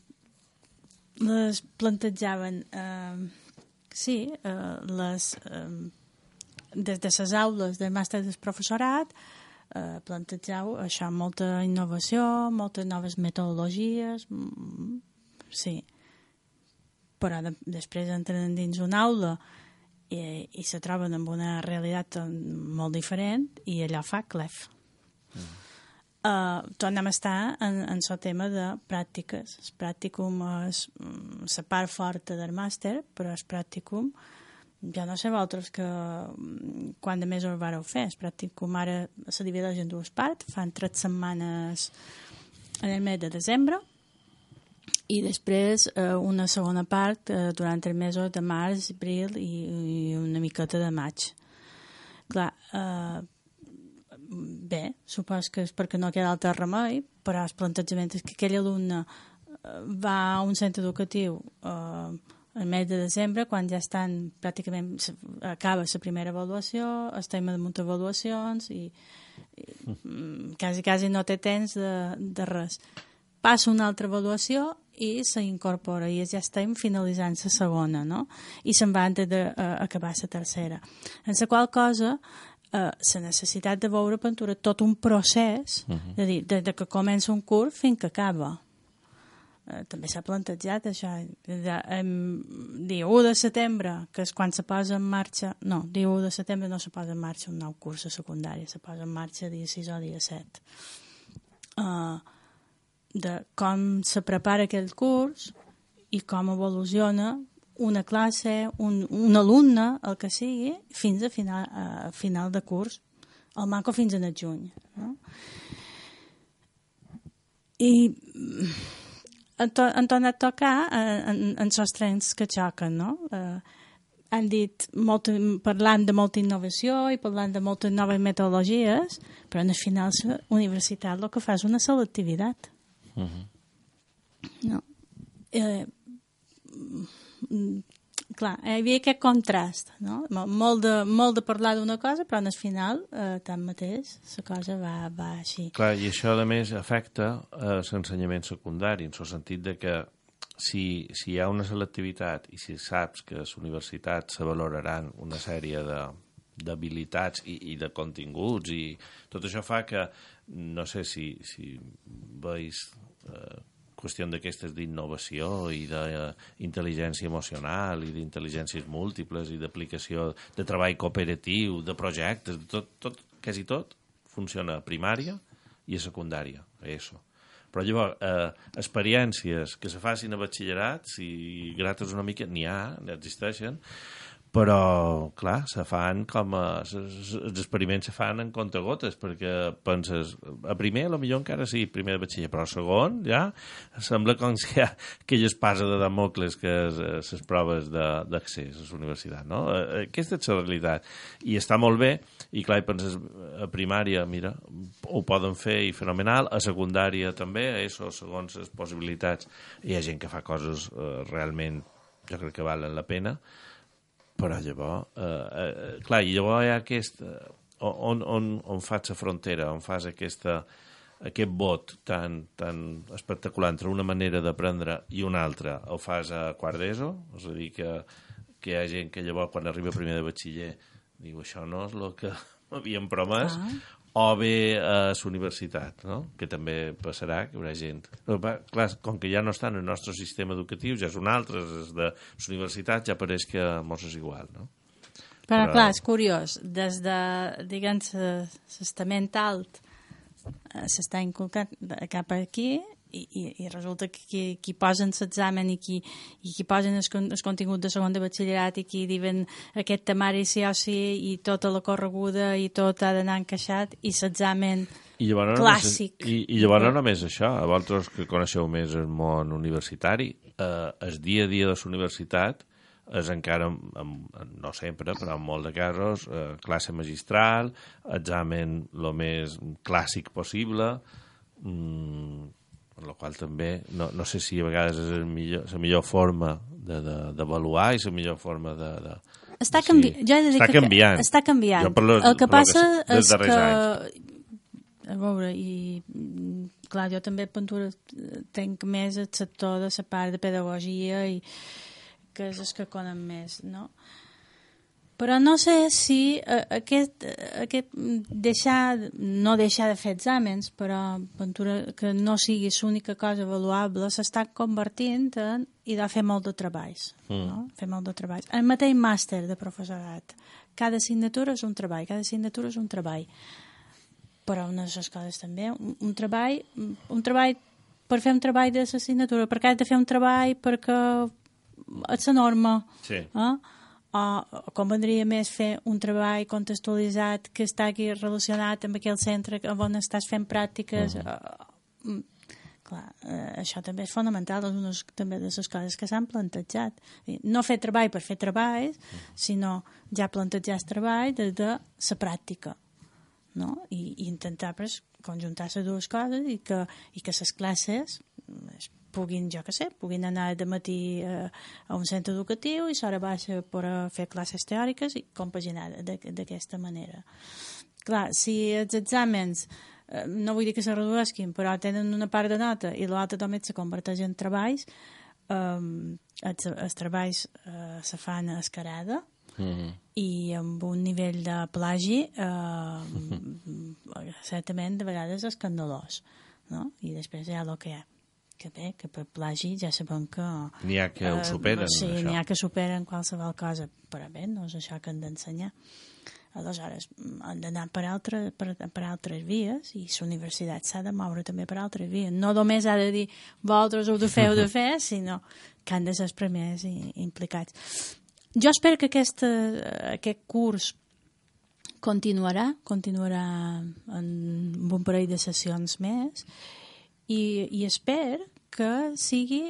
les plantejaven, eh, sí, eh, les, eh, des de les aules del màster del professorat, eh, plantejau això, molta innovació, moltes noves metodologies, mm, sí. Però de, després entren dins una aula i, i se troben amb una realitat molt diferent i allò fa clef. Mm. Uh, tornem a estar en, en el tema de pràctiques. El pràcticum és la part forta del màster, però el pràcticum, jo no sé vosaltres que quan de més ho vareu fer. El pràcticum ara se divideix en dues parts, fan tres setmanes en el mes de desembre i després eh, una segona part eh, durant els mesos de març, abril i, i una miqueta de maig. Clar, eh, bé, supos que és perquè no queda altre remei, però el plantejament és que aquell alumne eh, va a un centre educatiu eh, el mes de desembre, quan ja estan pràcticament, acaba la primera avaluació, estem damunt avaluacions i, i mm, quasi, quasi no té temps de, de res. Passa una altra avaluació i s'incorpora i ja estem finalitzant la segona, no? I se'n va antes d'acabar la tercera. En la qual cosa, eh, la necessitat de veure pintura tot un procés, uh -huh. de dir, des de que comença un curs fins que acaba. Eh, també s'ha plantejat això. De, em, dia u de setembre, que és quan se posa en marxa... No, dia u de setembre no se posa en marxa un nou curs a secundària, se posa en marxa dia sis o dia set. Uh, de com se prepara aquell curs i com evoluciona una classe, un, un alumne, el que sigui, fins a final, a final de curs, al manco fins en el juny. No? I han, to, han tornat a tocar en, en els trens que xoquen, no? Eh, han dit, molta, parlant de molta innovació i parlant de moltes noves metodologies, però al final la universitat el que fa és una selectivitat. Uh-huh. No. Eh, clar, hi havia aquest contrast, no? Molt de, molt de parlar d'una cosa, però al final, eh, tanmateix, la cosa va, va així. Clar, i això, a més, afecta eh, l'ensenyament secundari, en el sentit de que si, si hi ha una selectivitat i si saps que a les universitats se valoraran una sèrie de d'habilitats i, i de continguts i tot això fa que, no sé si, si veus eh, qüestió d'aquestes d'innovació i d'intel·ligència emocional i d'intel·ligències múltiples i d'aplicació de treball cooperatiu, de projectes, de tot, tot, quasi tot funciona a primària i a secundària, a ESO. Però llavors, eh, experiències que se facin a batxillerat, si grates una mica, n'hi ha, n'existeixen, però, clar, se fan com a... Els experiments se fan en comptagotes, perquè penses, a primer, a lo millor encara sí, primer de batxiller, però a segon, ja, sembla com si hi ha aquella espasa de Damocles que és les proves d'accés a la universitat, no? Aquesta és la realitat. I està molt bé, i clar, penses, a primària, mira, ho poden fer i fenomenal, a secundària també, a ESO, segons les possibilitats, hi ha gent que fa coses eh, realment, jo crec que valen la pena, però llavors, eh, eh, clar, i llavors hi ha aquest, eh, on, on, on fas la frontera, on fas aquesta, aquest vot tan, tan espectacular entre una manera d'aprendre i una altra, ho fas a quart d'ESO, és a dir, que, que hi ha gent que llavors quan arriba primer de batxiller diu, això no és el que m'havien promès, ah. o bé a la universitat, no? Que també passarà, que hi haurà gent. Però, clar, com que ja no està en el nostre sistema educatiu, ja és un altre, és de la universitat, ja pareix que mos és igual, no? Però, Però... clar, és curiós, des de, diguem, l'estament alt s'està inculcat cap aquí i, i, i resulta que qui, qui posen l'examen i qui, i qui posen el, el contingut de segon de batxillerat i qui diuen aquest temari sí o sí i tota la correguda i tot ha d'anar encaixat i l'examen clàssic. No I, I llavors no només això, a vosaltres que coneixeu més el món universitari, eh, el dia a dia de la universitat és encara, no sempre, però en molts de casos, eh, classe magistral, examen el més clàssic possible, mm, per la qual també, no, no sé si a vegades és el millor, la millor forma d'avaluar de, de, i la millor forma de... de està, canvi... sí. jo he de dir està que canviant. Està canviant. Lo, el que passa que és que... anys. A veure, i clar, jo també pintura tenc més el sector de la part de pedagogia i que és el que conen més, no? Però no sé si aquest, aquest deixar, no deixar de fer exàmens, però pintura que no sigui l'única cosa avaluable, s'està convertint en i de fer molt de treballs. Mm. No? Fer molt de treballs. El mateix màster de professorat. Cada assignatura és un treball, cada assignatura és un treball. Però una de les coses també, un, un treball, un treball per fer un treball de l'assignatura, perquè has de fer un treball perquè és la norma. Sí. Eh? O convendria més fer un treball contextualitzat que està aquí relacionat amb aquell centre on estàs fent pràctiques. Uh-huh. uh, clar, uh, això també és fonamental, és una també de les coses que s'han plantejat. No fer treball per fer treball, uh-huh. sinó ja plantejar el treball des de la pràctica, no? I, i intentar pues, conjuntar les dues coses i que, i que les classes puguin, jo què sé, puguin anar de matí eh, a un centre educatiu i s'hora baixa per a fer classes teòriques i compaginar d'aquesta manera. Clar, si els exàmens, eh, no vull dir que se redueixin, però tenen una part de nota i l'altra també se converteix en treballs, eh, els, els treballs eh, se fan a escarada, mm-hmm. i amb un nivell de plagi eh, mm-hmm. certament de vegades escandalós, no? I després hi ha el que hi ha. Que bé, que per plagi ja sabem que... N'hi ha que ho superen, uh, sí, això. N'hi ha que superen qualsevol cosa, però bé, no és això que han d'ensenyar. Aleshores, han d'anar per, altre, per, per altres vies i la universitat s'ha de moure també per altres vies. No només ha de dir, vosaltres ho de fer, ho de fer, sinó que han de ser els primers implicats. Jo espero que aquest, aquest curs continuarà, continuarà en un parell de sessions més, I, i espero que sigui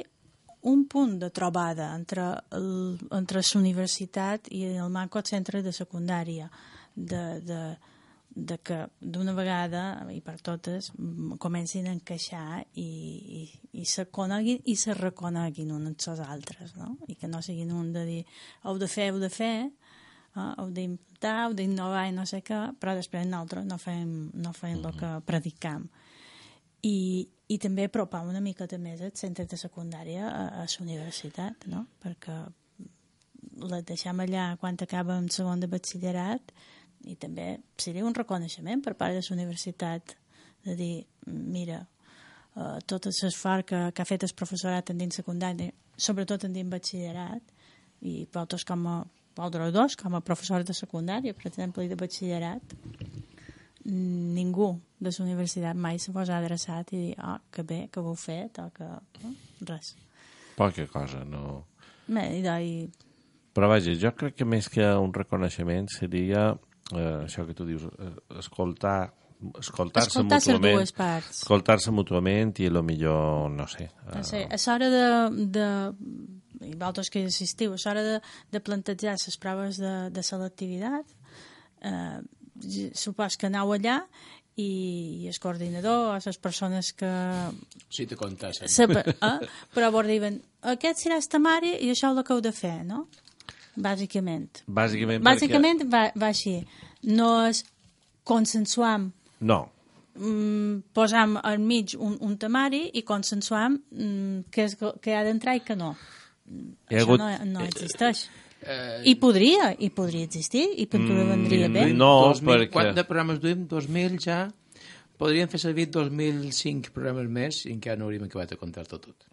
un punt de trobada entre, el, entre l'universitat i el manco centre de secundària, de, de, de que d'una vegada i per totes comencin a encaixar i, i, i se coneguin i se reconeguin uns als altres, no? I que no siguin un de dir heu de fer, heu de fer, eh? heu d'inventar, heu d'innovar i no sé què, però després nosaltres no fem, no fem el que predicam. I, i també apropar una miqueta més el centre de secundària a, a la universitat, no? Perquè la deixem allà quan acaba el segon de batxillerat i també seria un reconeixement per part de la universitat de dir, mira, uh, tot l'esforç que, que ha fet el professorat en dins secundari, sobretot en dins batxillerat, i vosaltres com a vosaltres dos, com a professors de secundària, per exemple, i de batxillerat, ningú de la universitat mai se vos ha adreçat i dir, oh, que bé, que ho heu fet, o que... No? Res. Poca cosa, no... Bé, i, i... Però vaja, jo crec que més que un reconeixement seria eh, això que tu dius, eh, escoltar escoltar-se escoltar mútuament, dues parts. escoltar-se mútuament i a lo millor, no sé... Eh... No sé, a l'hora de, de... i vosaltres que hi assistiu, a l'hora de, de plantejar les proves de, de selectivitat, eh, supos que aneu allà i, i el coordinador o les persones que... Sí, te contesten. Sap, eh? Però vos diuen, aquest serà el temari i això és el que heu de fer, no? Bàsicament. Bàsicament, Bàsicament perquè... va, va així. No és consensuam. No. Mm, posam al mig un, un temari i consensuam mm, què, és, què ha d'entrar i què no. Hi ha Això hagut... no, no existeix. Eh, I podria, i podria existir, i podria vendria bé. no, dos mil, perquè- Quant de programes duim? dos mil ja? Podríem fer servir dos mil cinc programes més i encara no hauríem acabat de comptar-ho tot.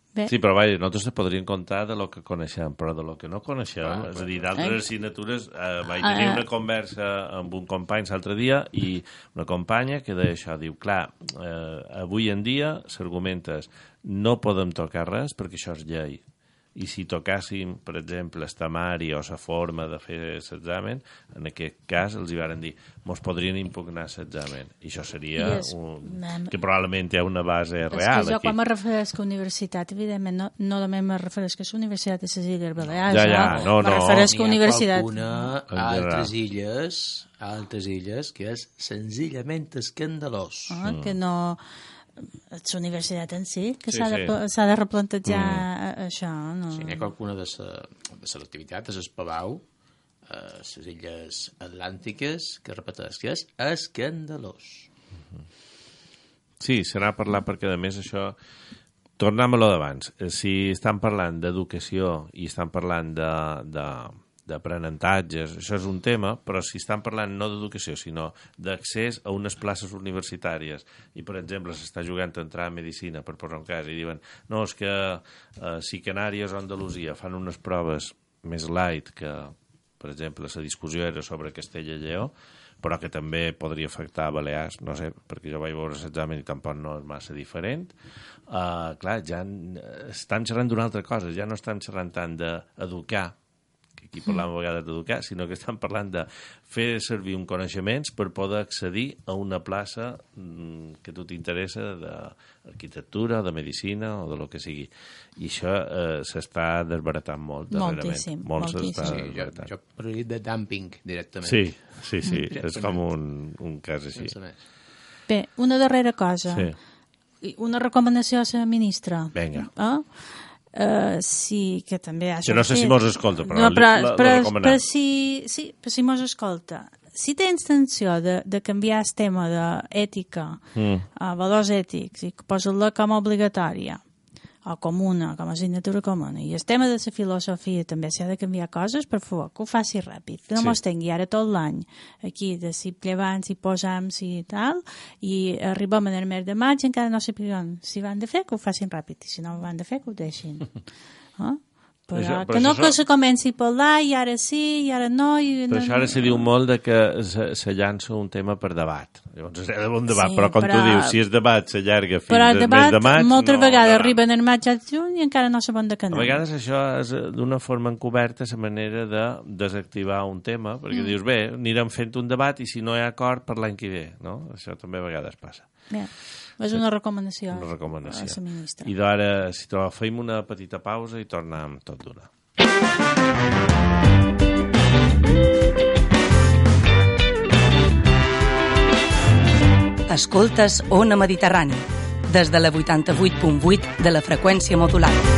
Bé. Sí, però vaja, nosaltres se podríem comptar de lo que coneixem, però de lo que no coneixem, Ah, és a dir, eh? d'altres assignatures, eh, vaig tenir Ah, ah. una conversa amb un company l'altre dia i una companya que deia això, diu, clar, eh, avui en dia s'argumenta no podem tocar res perquè això és llei. I si tocàssim, per exemple, el temari o la forma de fer l'examen, en aquest cas els hi varen dir mos podrien impugnar l'examen. I això seria I és- un... Mem- que probablement té una base És real. que jo aquí. quan me refereix a universitat, evidentment, no, no només me refereix que és la Universitat de les Illes Balears. Ja, ja, no, me no. refereix que N'hi ha universitat... qualcuna En a general. altres illes, a altres illes, que és senzillament escandalós. Ah, que no... És la universitat en si, que Sí, s'ha sí. de, s'ha de replantejar mm. això. No? Si n'hi ha qualcuna de sa, de selectivitat, és el Palau, a les illes atlàntiques, que repeteix que és escandalós. Sí, serà parlar perquè, a més, això... Tornem a lo d'abans. Eh, Si estan parlant d'educació i estan parlant de, de, d'aprenentatges, això és un tema, però si estan parlant no d'educació, sinó d'accés a unes places universitàries, i, per exemple, s'està jugant a entrar a Medicina, per posar un cas, i diuen, no, és que eh, si Canàries o Andalusia fan unes proves més light que, per exemple, la discussió era sobre Castella i Lleó, però que també podria afectar a Balears, no sé, perquè jo vaig veure l'examen i tampoc no és massa diferent. Uh, clar, ja estan xerrant d'una altra cosa, ja no estan xerrant tant d'educar, que aquí parlàvem a vegades d'educar, sinó que estan parlant de fer servir un coneixements per poder accedir a una plaça mm, que a tu t'interessa d'arquitectura, de medicina o de lo que sigui. I això eh, s'està desbaratant molt darrerament. Moltíssim, Molt moltíssim. s'està Sí, jo, desbaratant. jo parlaria de dumping directament. Sí, sí, sí, Mm. és com un, un cas així. Sense més. Bé, una darrera cosa. Sí. I una recomanació a la ministra. Vinga. Eh? Uh, sí, que també ha Que no sé sortit. si mos escolta, però no, però, la- la però, recomanem. però si, sí, però si mos escolta, si té intenció de, de canviar el tema d'ètica Mm. a valors ètics i posar-la com a obligatòria o comuna, com a assignatura comuna, i el tema de la filosofia també s'ha de canviar coses, per favor, que ho faci ràpid, que no Sí. mos tengui ara tot l'any aquí de si llevant, si posam, si tal, i arribem en el mes de maig i encara no sapiguem si van de fer, que ho facin ràpid, i si no ho van de fer, que ho deixin. Eh? Però, Això- però que no això- que se comenci a parlar i ara sí, i ara no... I Però no, això ara se diu molt de que se, se llança un tema per debat. Llavors és un debat, Sí, però com però- tu dius, si el debat s'allarga fins Però al el mes debat de maig... moltes no, vegades no, arriben en maig al juny i encara no saben de què A anar. vegades això és eh, d'una forma encoberta la manera de desactivar un tema, perquè Mm. dius, bé, anirem fent un debat i si no hi ha acord per l'any que ve, no? Això també a vegades passa. Bé. És una recomanació. Una recomanació. A la ministra. I d'ara, si trobeu, fem una petita pausa i tornem tot d'una. Escoltes Ona Mediterrani, des de la vuitanta-vuit punt vuit de la freqüència modulada.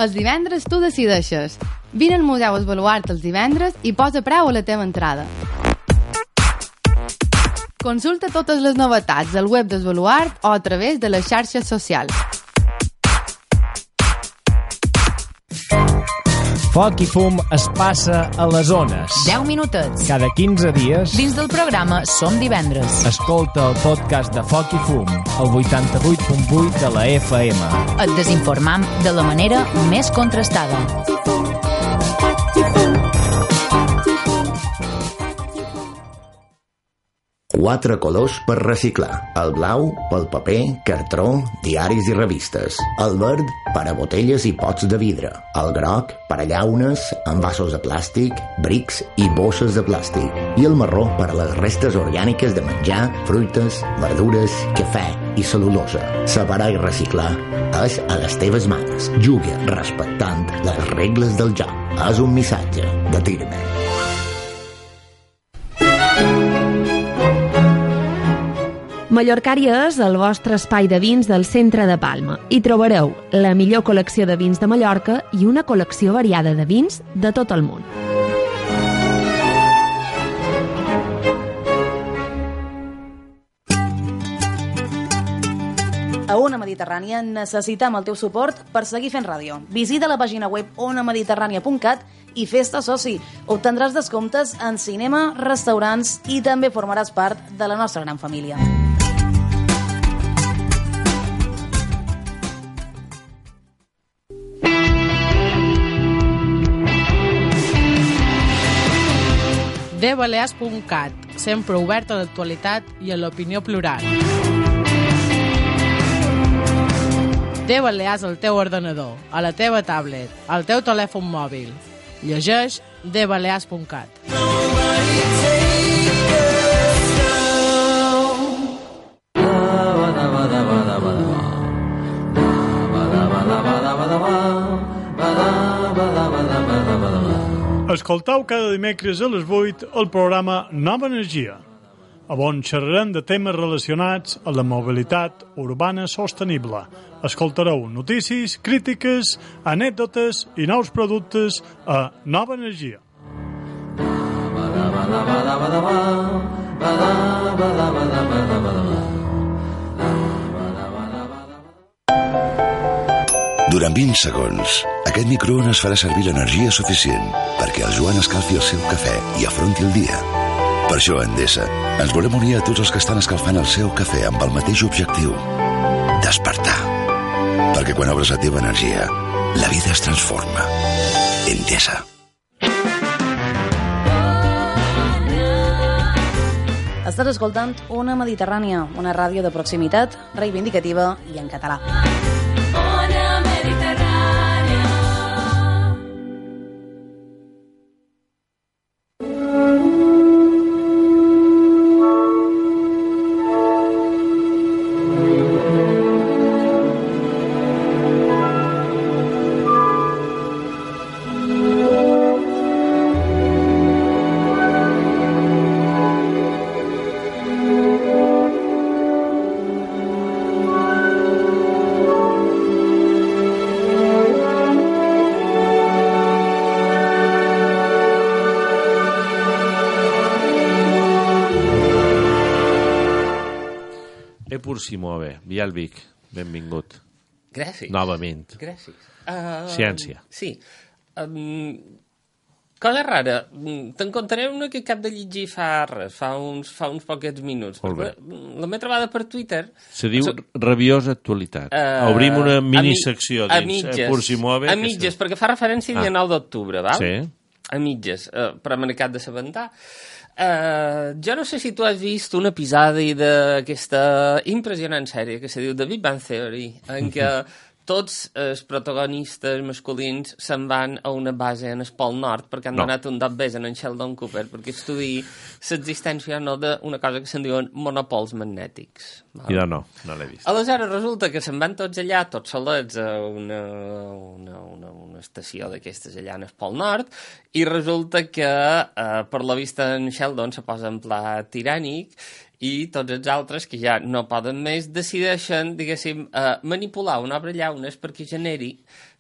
Els divendres tu decideixes. Vine al Museu Esbaluart els divendres i posa preu a la teva entrada. Consulta totes les novetats al web d'Esbaluart o a través de les xarxes socials. Foc i fum es passa a les ones. deu minutets. Cada quinze dies. Dins del programa Som Divendres. Escolta el podcast de Foc i fum, al vuitanta-vuit punt vuit de la F M. Et desinformam de la manera més contrastada. Quatre colors per reciclar. El blau pel paper, cartró, diaris i revistes. El verd per a botelles i pots de vidre. El groc per a llaunes, envasos de plàstic, brics i bosses de plàstic. I el marró per a les restes orgàniques de menjar, fruites, verdures, cafè i cel·lulosa. Separar i reciclar és a les teves mans. Juga respectant les regles del joc. És un missatge de Tirmen. Mallorcària és el vostre espai de vins del centre de Palma. Hi trobareu la millor col·lecció de vins de Mallorca i una col·lecció variada de vins de tot el món. A Ona Mediterrània necessitem el teu suport per seguir fent ràdio. Visita la pàgina web ona mediterrània punt cat i fes-te soci. Obtendràs descomptes en cinema, restaurants i també formaràs part de la nostra gran família. de balears punt cat, sempre obert a l'actualitat i a l'opinió plural. De Balears al teu ordenador, a la teva tablet, al teu telèfon mòbil. Llegeix de balears punt cat. Escoltau cada dimecres a les vuit el programa Nova Energia, on xerrarem de temes relacionats amb la mobilitat urbana sostenible. Escoltareu notícies, crítiques, anècdotes i nous productes a Nova Energia. Durant vint segons, aquest microones farà servir l'energia suficient perquè el Joan escalfi el seu cafè i afronti el dia. Per això, a Endesa, ens volem unir a tots els que estan escalfant el seu cafè amb el mateix objectiu: despertar. Perquè quan obres la teva energia, la vida es transforma. Endesa. Estàs escoltant Ona Mediterrània, una ràdio de proximitat, reivindicativa i en català. Simove, Vialvic, benvingut. Gràcies. Novament. Gràcies. Uh, Ciència. Sí. Um, cosa rara, te'n contaré una que cap de llegir fa res, fa uns, fa uns poquets minuts. Molt bé. La m'he trobada per Twitter. Se diu so, rabiosa actualitat. Uh, Obrim una minisecció dins. A mitges, Pur Simove. A mitges, perquè fa referència al dia ah. nou d'octubre, val? Sí. A mitges, uh, però m'he acabat de sabentar. Uh, jo no sé si tu has vist un episodi d'aquesta impressionant sèrie que se diu The Big Bang Theory, en què tots els protagonistes masculins se'n van a una base en el Pol Nord perquè han No. donat un dot bes en en Sheldon Cooper perquè estudiï l'existència no d'una cosa que se'n diuen monopols magnètics. Val? Jo no, no l'he vist. Aleshores resulta que se'n van tots allà, tots solets, a una, una, una, una estació d'aquestes allà en el Pol Nord, i resulta que eh, per la vista en Sheldon se posa en pla tirànic i tots els altres, que ja no poden més, decideixen, diguéssim, eh, manipular una obra llaunes perquè generi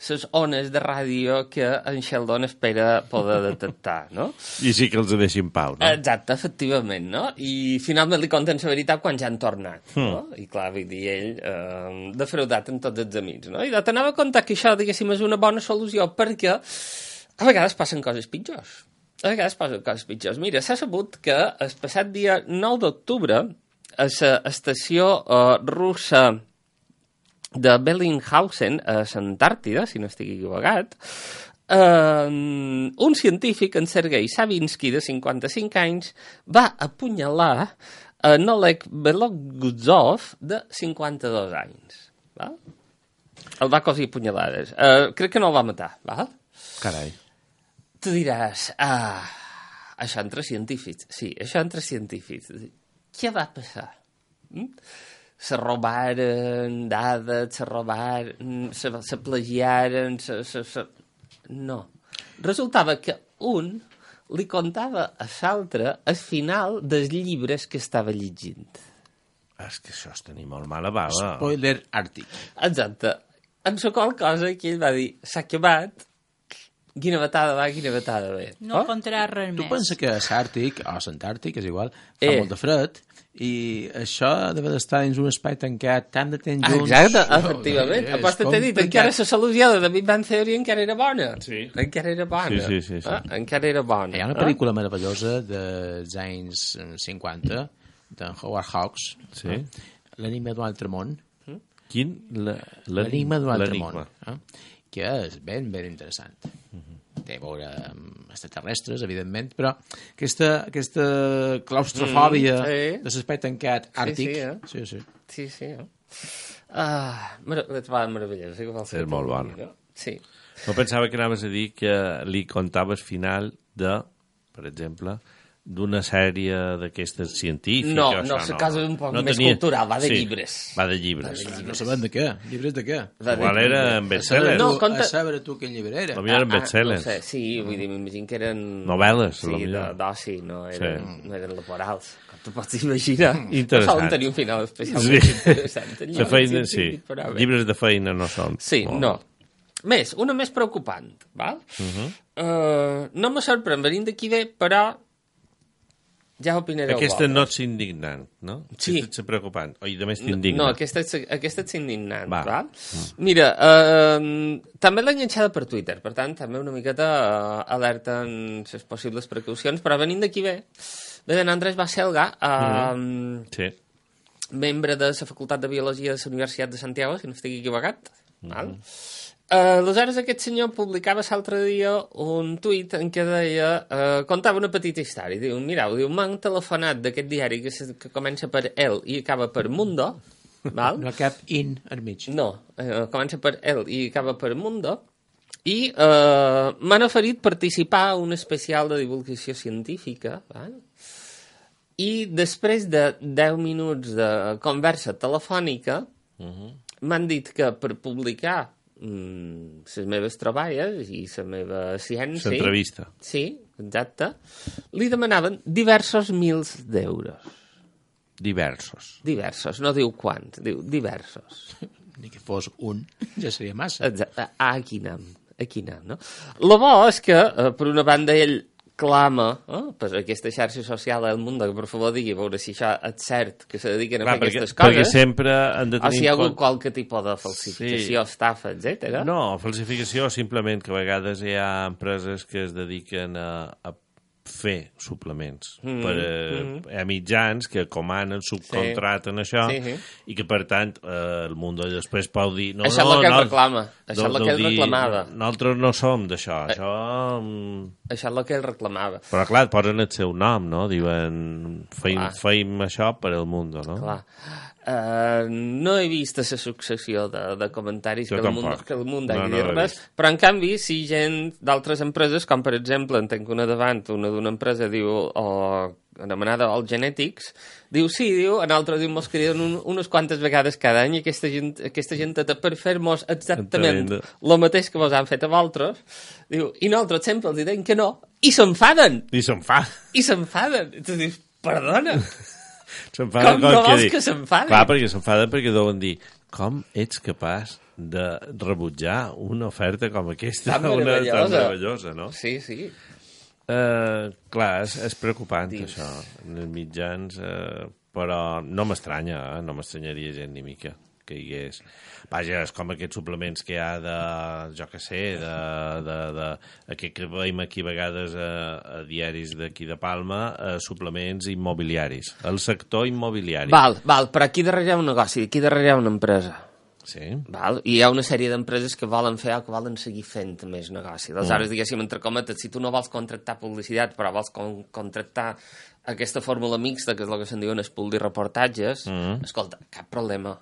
les ones de ràdio que en Sheldon espera poder detectar, no? I sí que els deixin pau, no? Exacte, efectivament, no? I finalment li conten la veritat quan ja han tornat, no? I clar, vull dir, ell eh, defraudat en tots els amics, no? I t'anava a contar que això, diguéssim, és una bona solució perquè a vegades passen coses pitjors. A vegades passen coses pitjors. Mira, s'ha sabut que el passat dia nou d'octubre a l'estació uh, russa de Bellinghausen, a l'Antàrtida, si no estic equivocat, uh, un científic, en Sergei Savinsky, de cinquanta-cinc anys, va apunyalar en Oleg Belogutsov, de cinquanta-dos anys. Val? El va cosir punyalades. Uh, crec que no el va matar, val? Carai. Tu diràs, ah, això entre científics. Sí, això entre científics. Què va passar? Mm? Se robaren dades, se robaren, se, se plagiaren, se, se, se... No. Resultava que un li contava a l'altre el final dels llibres que estava llegint. És que això és tenir molt mala bava. Spoiler àrtic. Exacte. En la qual cosa que ell va dir, s'ha acabat, quina batada va, quina batada ve. No oh? contarà res Tu més. pensa que a l'Àrtic, o a l'Antàrtic, és igual, fa Eh. molt de fred, i això deve d'estar dins un espai tancat tant de temps junts. Exacte, efectivament. Oh, Aposta t'he dit, encara la solució de Big Bang Theory encara era bona. Sí. Encara era bona. Sí, sí, sí, sí. Ah, encara era bona. Hi ha una pel·lícula meravellosa dels anys cinquanta, d'en Howard Hawks, Sí. eh? L'enigma d'un altre món. Quin? La- L'enigma d'un altre món. l'enigma. Eh? Que és ben, ben interessant. Té a veure amb extraterrestres, evidentment, però aquesta, aquesta claustrofòbia Mm, sí. de l'espai tancat àrtic... Sí, sí, eh? sí, sí. Sí, sí, eh? Ah, mar la trobava meravellosa. Sí, que vol ser És molt tot, bona. no? Sí. No pensava que anaves a dir que li contaves final de, per exemple, d'una sèrie d'aquestes científiques. No, o no, això, la cosa és un poc més cultural, va de sí, llibres. Va de llibres. No sabem de què. Llibres de què? Va de Igual era llibres. en bestseller. No, Tu, conta- A saber tu quin llibre era. Potser eren Ah, bestsellers. no sé, sí, vull dir, m'imagino que eren... Novel·les, Sí, potser. de- d'oci, no eren, Sí. no eren laborals. Com tu pots imaginar. Interessant. No solen tenir un final especialment Sí. interessant. El La llibre feina, sí. científic, però bé. Llibres de feina no són. Sí, Molt. no. Més, una més preocupant, val? Uh -huh. Uh, no me sorprèn venint d'aquí bé, però ja opinareu Aquesta vosaltres. no ets indignant, no? Sí. Aquesta és preocupant. O i de més No, t'indigna. no, aquesta és, aquesta és indignant, Va. val? Mira, uh, també l'he enganxada per Twitter, per tant, també una miqueta uh, alerta en les possibles precaucions, però venint d'aquí bé, ve d'en Andrés Baselga, uh, Mm. Sí. membre de la Facultat de Biologia de la Universitat de Santiago, si no estic equivocat, val? Uh, aleshores aquest senyor publicava l'altre dia un tuit en què deia, uh, contava una petita història, diu, mireu, diu, m'han telefonat d'aquest diari que, se, que comença per El i acaba per Mundo, val? No cap in al mig. No, uh, comença per El i acaba per Mundo, i uh, m'han oferit participar a un especial de divulgació científica, val? I després de deu minuts de conversa telefònica Uh -huh. m'han dit que per publicar les meves troballes i la meva ciència... L'entrevista. Sí, exacte. Li demanaven diversos mils d'euros. Diversos. Diversos, no diu quants, diu diversos. Ni que fos un, ja seria massa. Exacte. Ah, aquí anem, aquí anem, no? Lo bo és que, eh, per una banda, ell clama eh, per aquesta xarxa social del món, que per favor digui a veure si això és cert, que se dediquen a Clar, fer perquè, aquestes coses, perquè sempre han de o tenir si hi ha en hagut compte- qualque tipus de falsificació, Sí. estafa, etcètera. No, falsificació simplement que a vegades hi ha empreses que es dediquen a, a fer suplements Mm, per a, mm. a mitjans que comanen, subcontraten això, Sí, sí. i que per tant eh, el món després pot dir no, Això és no, el que ell no, reclama, això és el que ell dir, reclamava. Nosaltres no som d'això, Eh. això... mm, Això és el que ell reclamava. Però clar, posen el seu nom, no? Diuen, feim, Clar. feim això per al món, no? Clar. Uh, no he vist la successió de, de comentaris jo que el, món, que el món hagi no, no dit res, però en canvi si gent d'altres empreses, com per exemple en tenc una davant, una d'una empresa diu, o anomenada All Genetics, diu sí, diu, en altres diu, mos criden un, unes quantes vegades cada any i aquesta gent, aquesta gent per fer-nos exactament el mateix que vos han fet a vosaltres, diu, i nosaltres sempre els diuen que no, i s'enfaden. I s'enfaden. I s'enfaden. I tu dius, perdona. S'enfaden com no vols que s'enfaden? Clar, perquè s'enfaden perquè deuen dir, com ets capaç de rebutjar una oferta com aquesta, tan una meravellosa. tan meravellosa, no? Sí, sí. Uh, clar, és, és preocupant Dins. això en els mitjans, uh, però no m'estranya, eh? no m'estranyaria gent ni mica que hi hagués. Vaja, és com aquests suplements que hi ha de, jo què sé, de, de, de, aquest que veiem aquí a vegades a, a diaris d'aquí de Palma, a suplements immobiliaris, el sector immobiliari. Val, val, però aquí darrere hi ha un negoci, aquí darrere hi ha una empresa. Sí. Val? I hi ha una sèrie d'empreses que volen fer o que volen seguir fent més negoci. Aleshores, mm. diguéssim, entre cometes, si tu no vols contractar publicitat, però vols con contractar aquesta fórmula mixta, que és el que se'n diuen els pool de reportatges, mm. escolta, cap problema.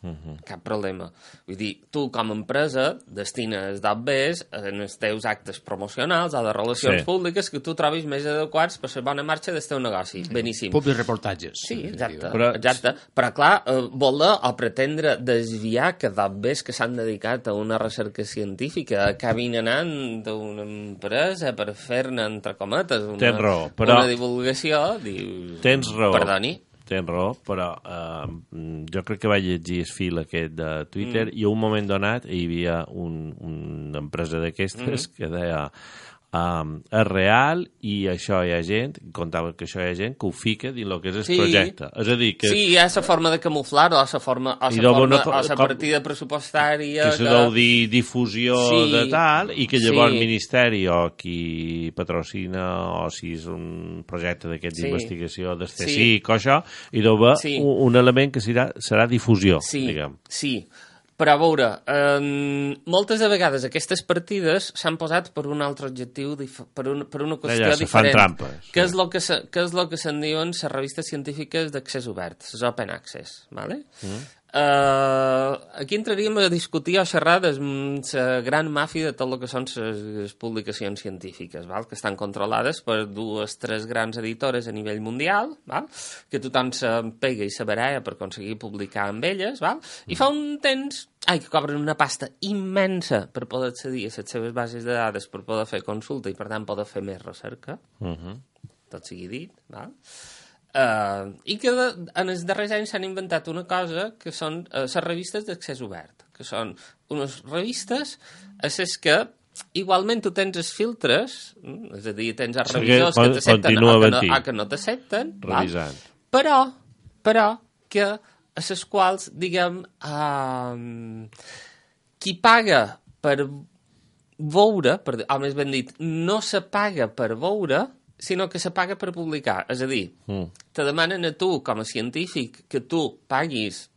Uh-huh. Cap problema. Vull dir, tu com a empresa destines d'obvers en els teus actes promocionals o de relacions sí. públiques que tu trobis més adequats per la bona marxa del teu negoci. Beníssim. Public reportatges. Sí, exacte. Però, exacte. Però clar, eh, voler o pretendre desviar que d'obvers que s'han dedicat a una recerca científica acabin anant d'una empresa per fer-ne, entre cometes, una, raó, però... una divulgació, dius... Tens raó. Perdoni. Tens raó, però uh, jo crec que vaig llegir el fil aquest de Twitter mm. i a un moment donat hi havia un, una empresa d'aquestes mm. que deia um, és real i això hi ha gent, contava que això hi ha gent que ho fica dins el que és el sí. projecte. És a dir, que... Sí, hi ha la forma de camuflar o la forma, o la forma, o la partida pressupostària... Que se deu dir difusió sí. de tal i que llavors sí. el Ministeri o qui patrocina o si és un projecte d'aquest sí. d'investigació del C S I C o això, i deu haver sí. un, un element que serà, serà difusió, sí. diguem. Sí, però a veure, eh, moltes de vegades aquestes partides s'han posat per un altre objectiu, per, un, per una qüestió Allà, diferent. Trampes, que, sí. és lo que, se, que és el que se'n diuen les revistes científiques d'accés obert, les open access, ¿vale? Mm. Uh, aquí entraríem a discutir o xerrar de la gran màfia de tot el que són les publicacions científiques, val? Que estan controlades per dues, tres grans editores a nivell mundial, val? Que tothom se pega i se baralla per aconseguir publicar amb elles, val? I fa un temps ai, que cobren una pasta immensa per poder accedir a les seves bases de dades, per poder fer consulta i per tant poder fer més recerca, uh-huh. tot sigui dit, val? Uh, i que de, en els darrers anys s'han inventat una cosa que són uh, les revistes d'accés obert, que són unes revistes a les que igualment tu tens els filtres, mm, és a dir, tens els revisors que t'accepten o que no, o que no t'accepten, però, però que a les quals, diguem, uh, qui paga per veure, per, o més ben dit, no se paga per veure, sinó que se paga per publicar. És a dir, mm. te demanen a tu, com a científic, que tu paguis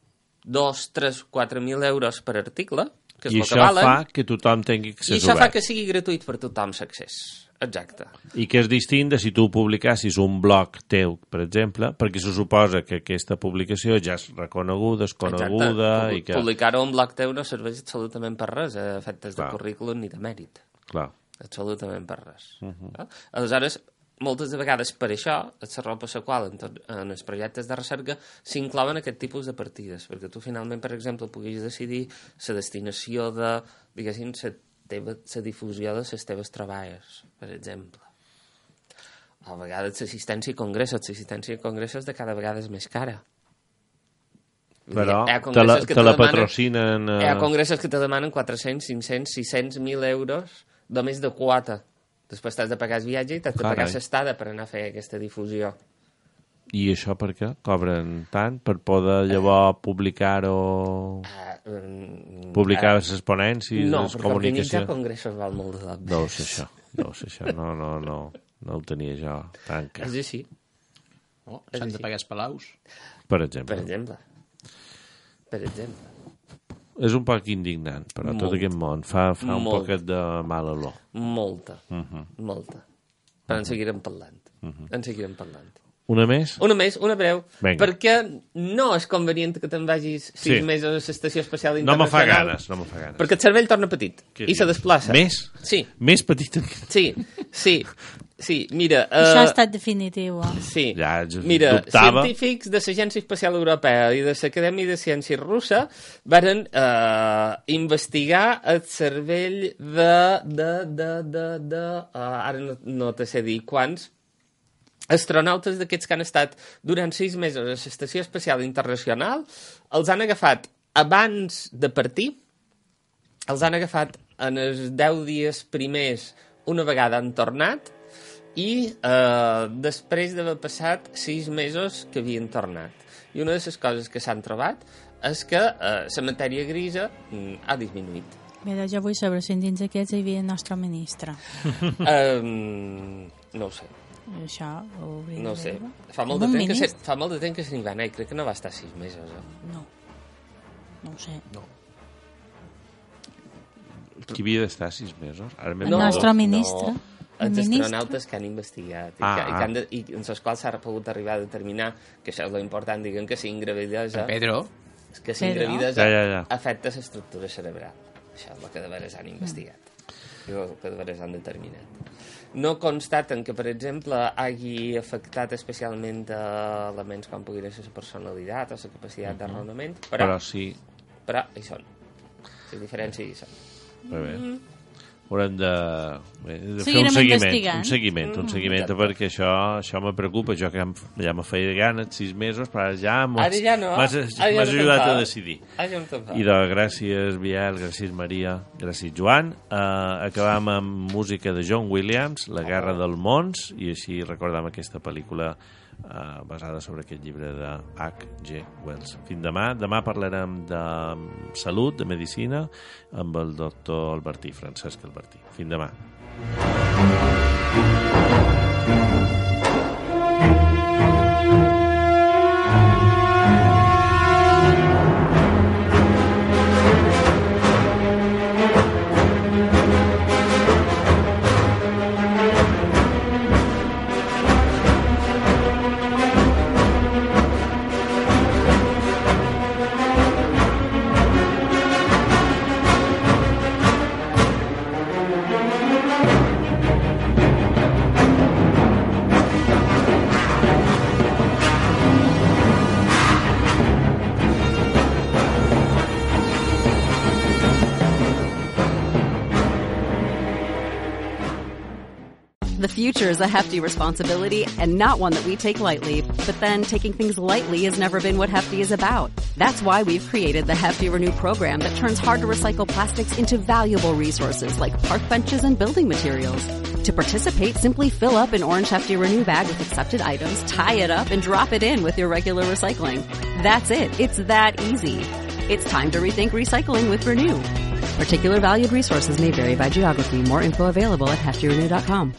dos, tres, quatre mil euros per article, que és I el que valen. I això fa que tothom tingui accés obert. I això obert. fa que sigui gratuït per tothom l'accés. Exacte. I que és distint de si tu publicassis un blog teu, per exemple, perquè se suposa que aquesta publicació ja és reconeguda, és coneguda... Exacte. I que... Publicar-ho un blog teu no serveix absolutament per res, a efectes de currículum ni de mèrit. Clar. Absolutament per res. Uh -huh. Aleshores, moltes de vegades per això, la raó per la qual en, tot, en els projectes de recerca s'inclouen aquest tipus de partides, perquè tu finalment, per exemple, puguis decidir la destinació de, diguéssim, la teva, la difusió de les teves treballes, per exemple. A vegades l'assistència a congressos, l'assistència a congressos de cada vegada és més cara. Però te la, te la patrocinen... Uh... Hi ha congressos que te demanen quatre-cents, cinc-cents, sis-cents, mil euros només de quota. Després t'has de pagar el viatge i t'has de pagar l'estada per anar a fer aquesta difusió. I això per què? Cobren tant? Per poder llavors publicar-ho... Uh, um, publicar les uh, ponències, no, les comunicacions... No, perquè organitzar congressos val molt de deu ser això, deu ser això. No, no, no, no ho tenia jo tan clar. És així. Oh, S'han de pagar els palaus? Per exemple. Per exemple. Per exemple. És un poc indignant, però Molt. tot aquest món fa, fa un poquet de mala olor. Molta, uh -huh. molta. Però en seguirem parlant. Uh -huh. En seguirem parlant. Una més? Una més, una breu. Venga. Perquè no és convenient que te'n vagis sis Sí. mesos a l'Estació Espacial No me fa Internacional. ganes, no me fa ganes. Perquè el cervell torna petit Què i se dius? desplaça. Més? Sí. Més petit que... Sí, sí, sí. Mira... Això ha eh, estat definitiu. Eh? Sí. Ja, jo Mira, dubtava. científics de l'Agència Espacial Europea i de l'Acadèmia de Ciències Russa varen eh, investigar el cervell de... de, de, de, de uh, ara no, no te sé dir quants astronautes d'aquests que han estat durant sis mesos a l'Estació Espacial Internacional. Els han agafat abans de partir, els han agafat en els deu dies primers una vegada han tornat i eh, després d'haver passat sis mesos que havien tornat. I una de les coses que s'han trobat és que eh, la matèria grisa mm, ha disminuït. Mira, jo vull saber si dins aquests hi havia el nostre ministre. um, no ho sé. Això ho hauria No ho de sé. veure. Fa molt, de Un temps que se, ministre? fa molt de temps que se n'hi va anar i crec que no va estar sis mesos. Eh? No. No ho sé. No. Qui havia d'estar sis mesos? Ara El nostre ministre. No. El Els ministre. astronautes que han investigat i, Ah, que, i, que han ah. de, i en els quals s'ha pogut arribar a determinar que això és l'important, diguem que si gravidesa... Pedro. Que si Pedro. gravidesa Ja, ja, ja. afecta l'estructura cerebral. Això és el que de veres han investigat. I el que de veres han determinat. No constaten que, per exemple, hagi afectat especialment a elements com pugui ser la personalitat o la capacitat de raonament, però, Però sí. però hi són. Les diferències hi són. Molt bé. Haurem de, bé, de fer un Seguirem seguiment, investigant. un seguiment, un seguiment, Mm. perquè això, això me preocupa. Jo que ja, ja me feia ganes sis mesos, però ara ja m'has Ara ja no. m'has- Ara ja m'has no ajudat te'n a fa. decidir. Ara ja no te'n fa. I doncs, gràcies, Biel, gràcies, Maria, gràcies, Joan. Uh, acabam amb música de John Williams, La guerra del mons, i així recordam aquesta pel·lícula uh, basada sobre aquest llibre de H G Wells. Fins demà. Demà parlarem de salut, de medicina, amb el doctor Albertí, Francesc Albertí. Fins demà. The future is a hefty responsibility and not one that we take lightly. But then taking things lightly has never been what Hefty is about. That's why we've created the Hefty Renew program that turns hard to recycle plastics into valuable resources like park benches and building materials. To participate, simply fill up an orange Hefty Renew bag with accepted items, tie it up, and drop it in with your regular recycling. That's it. It's that easy. It's time to rethink recycling with Renew. Particular valued resources may vary by geography. More info available at hefty renew dot com.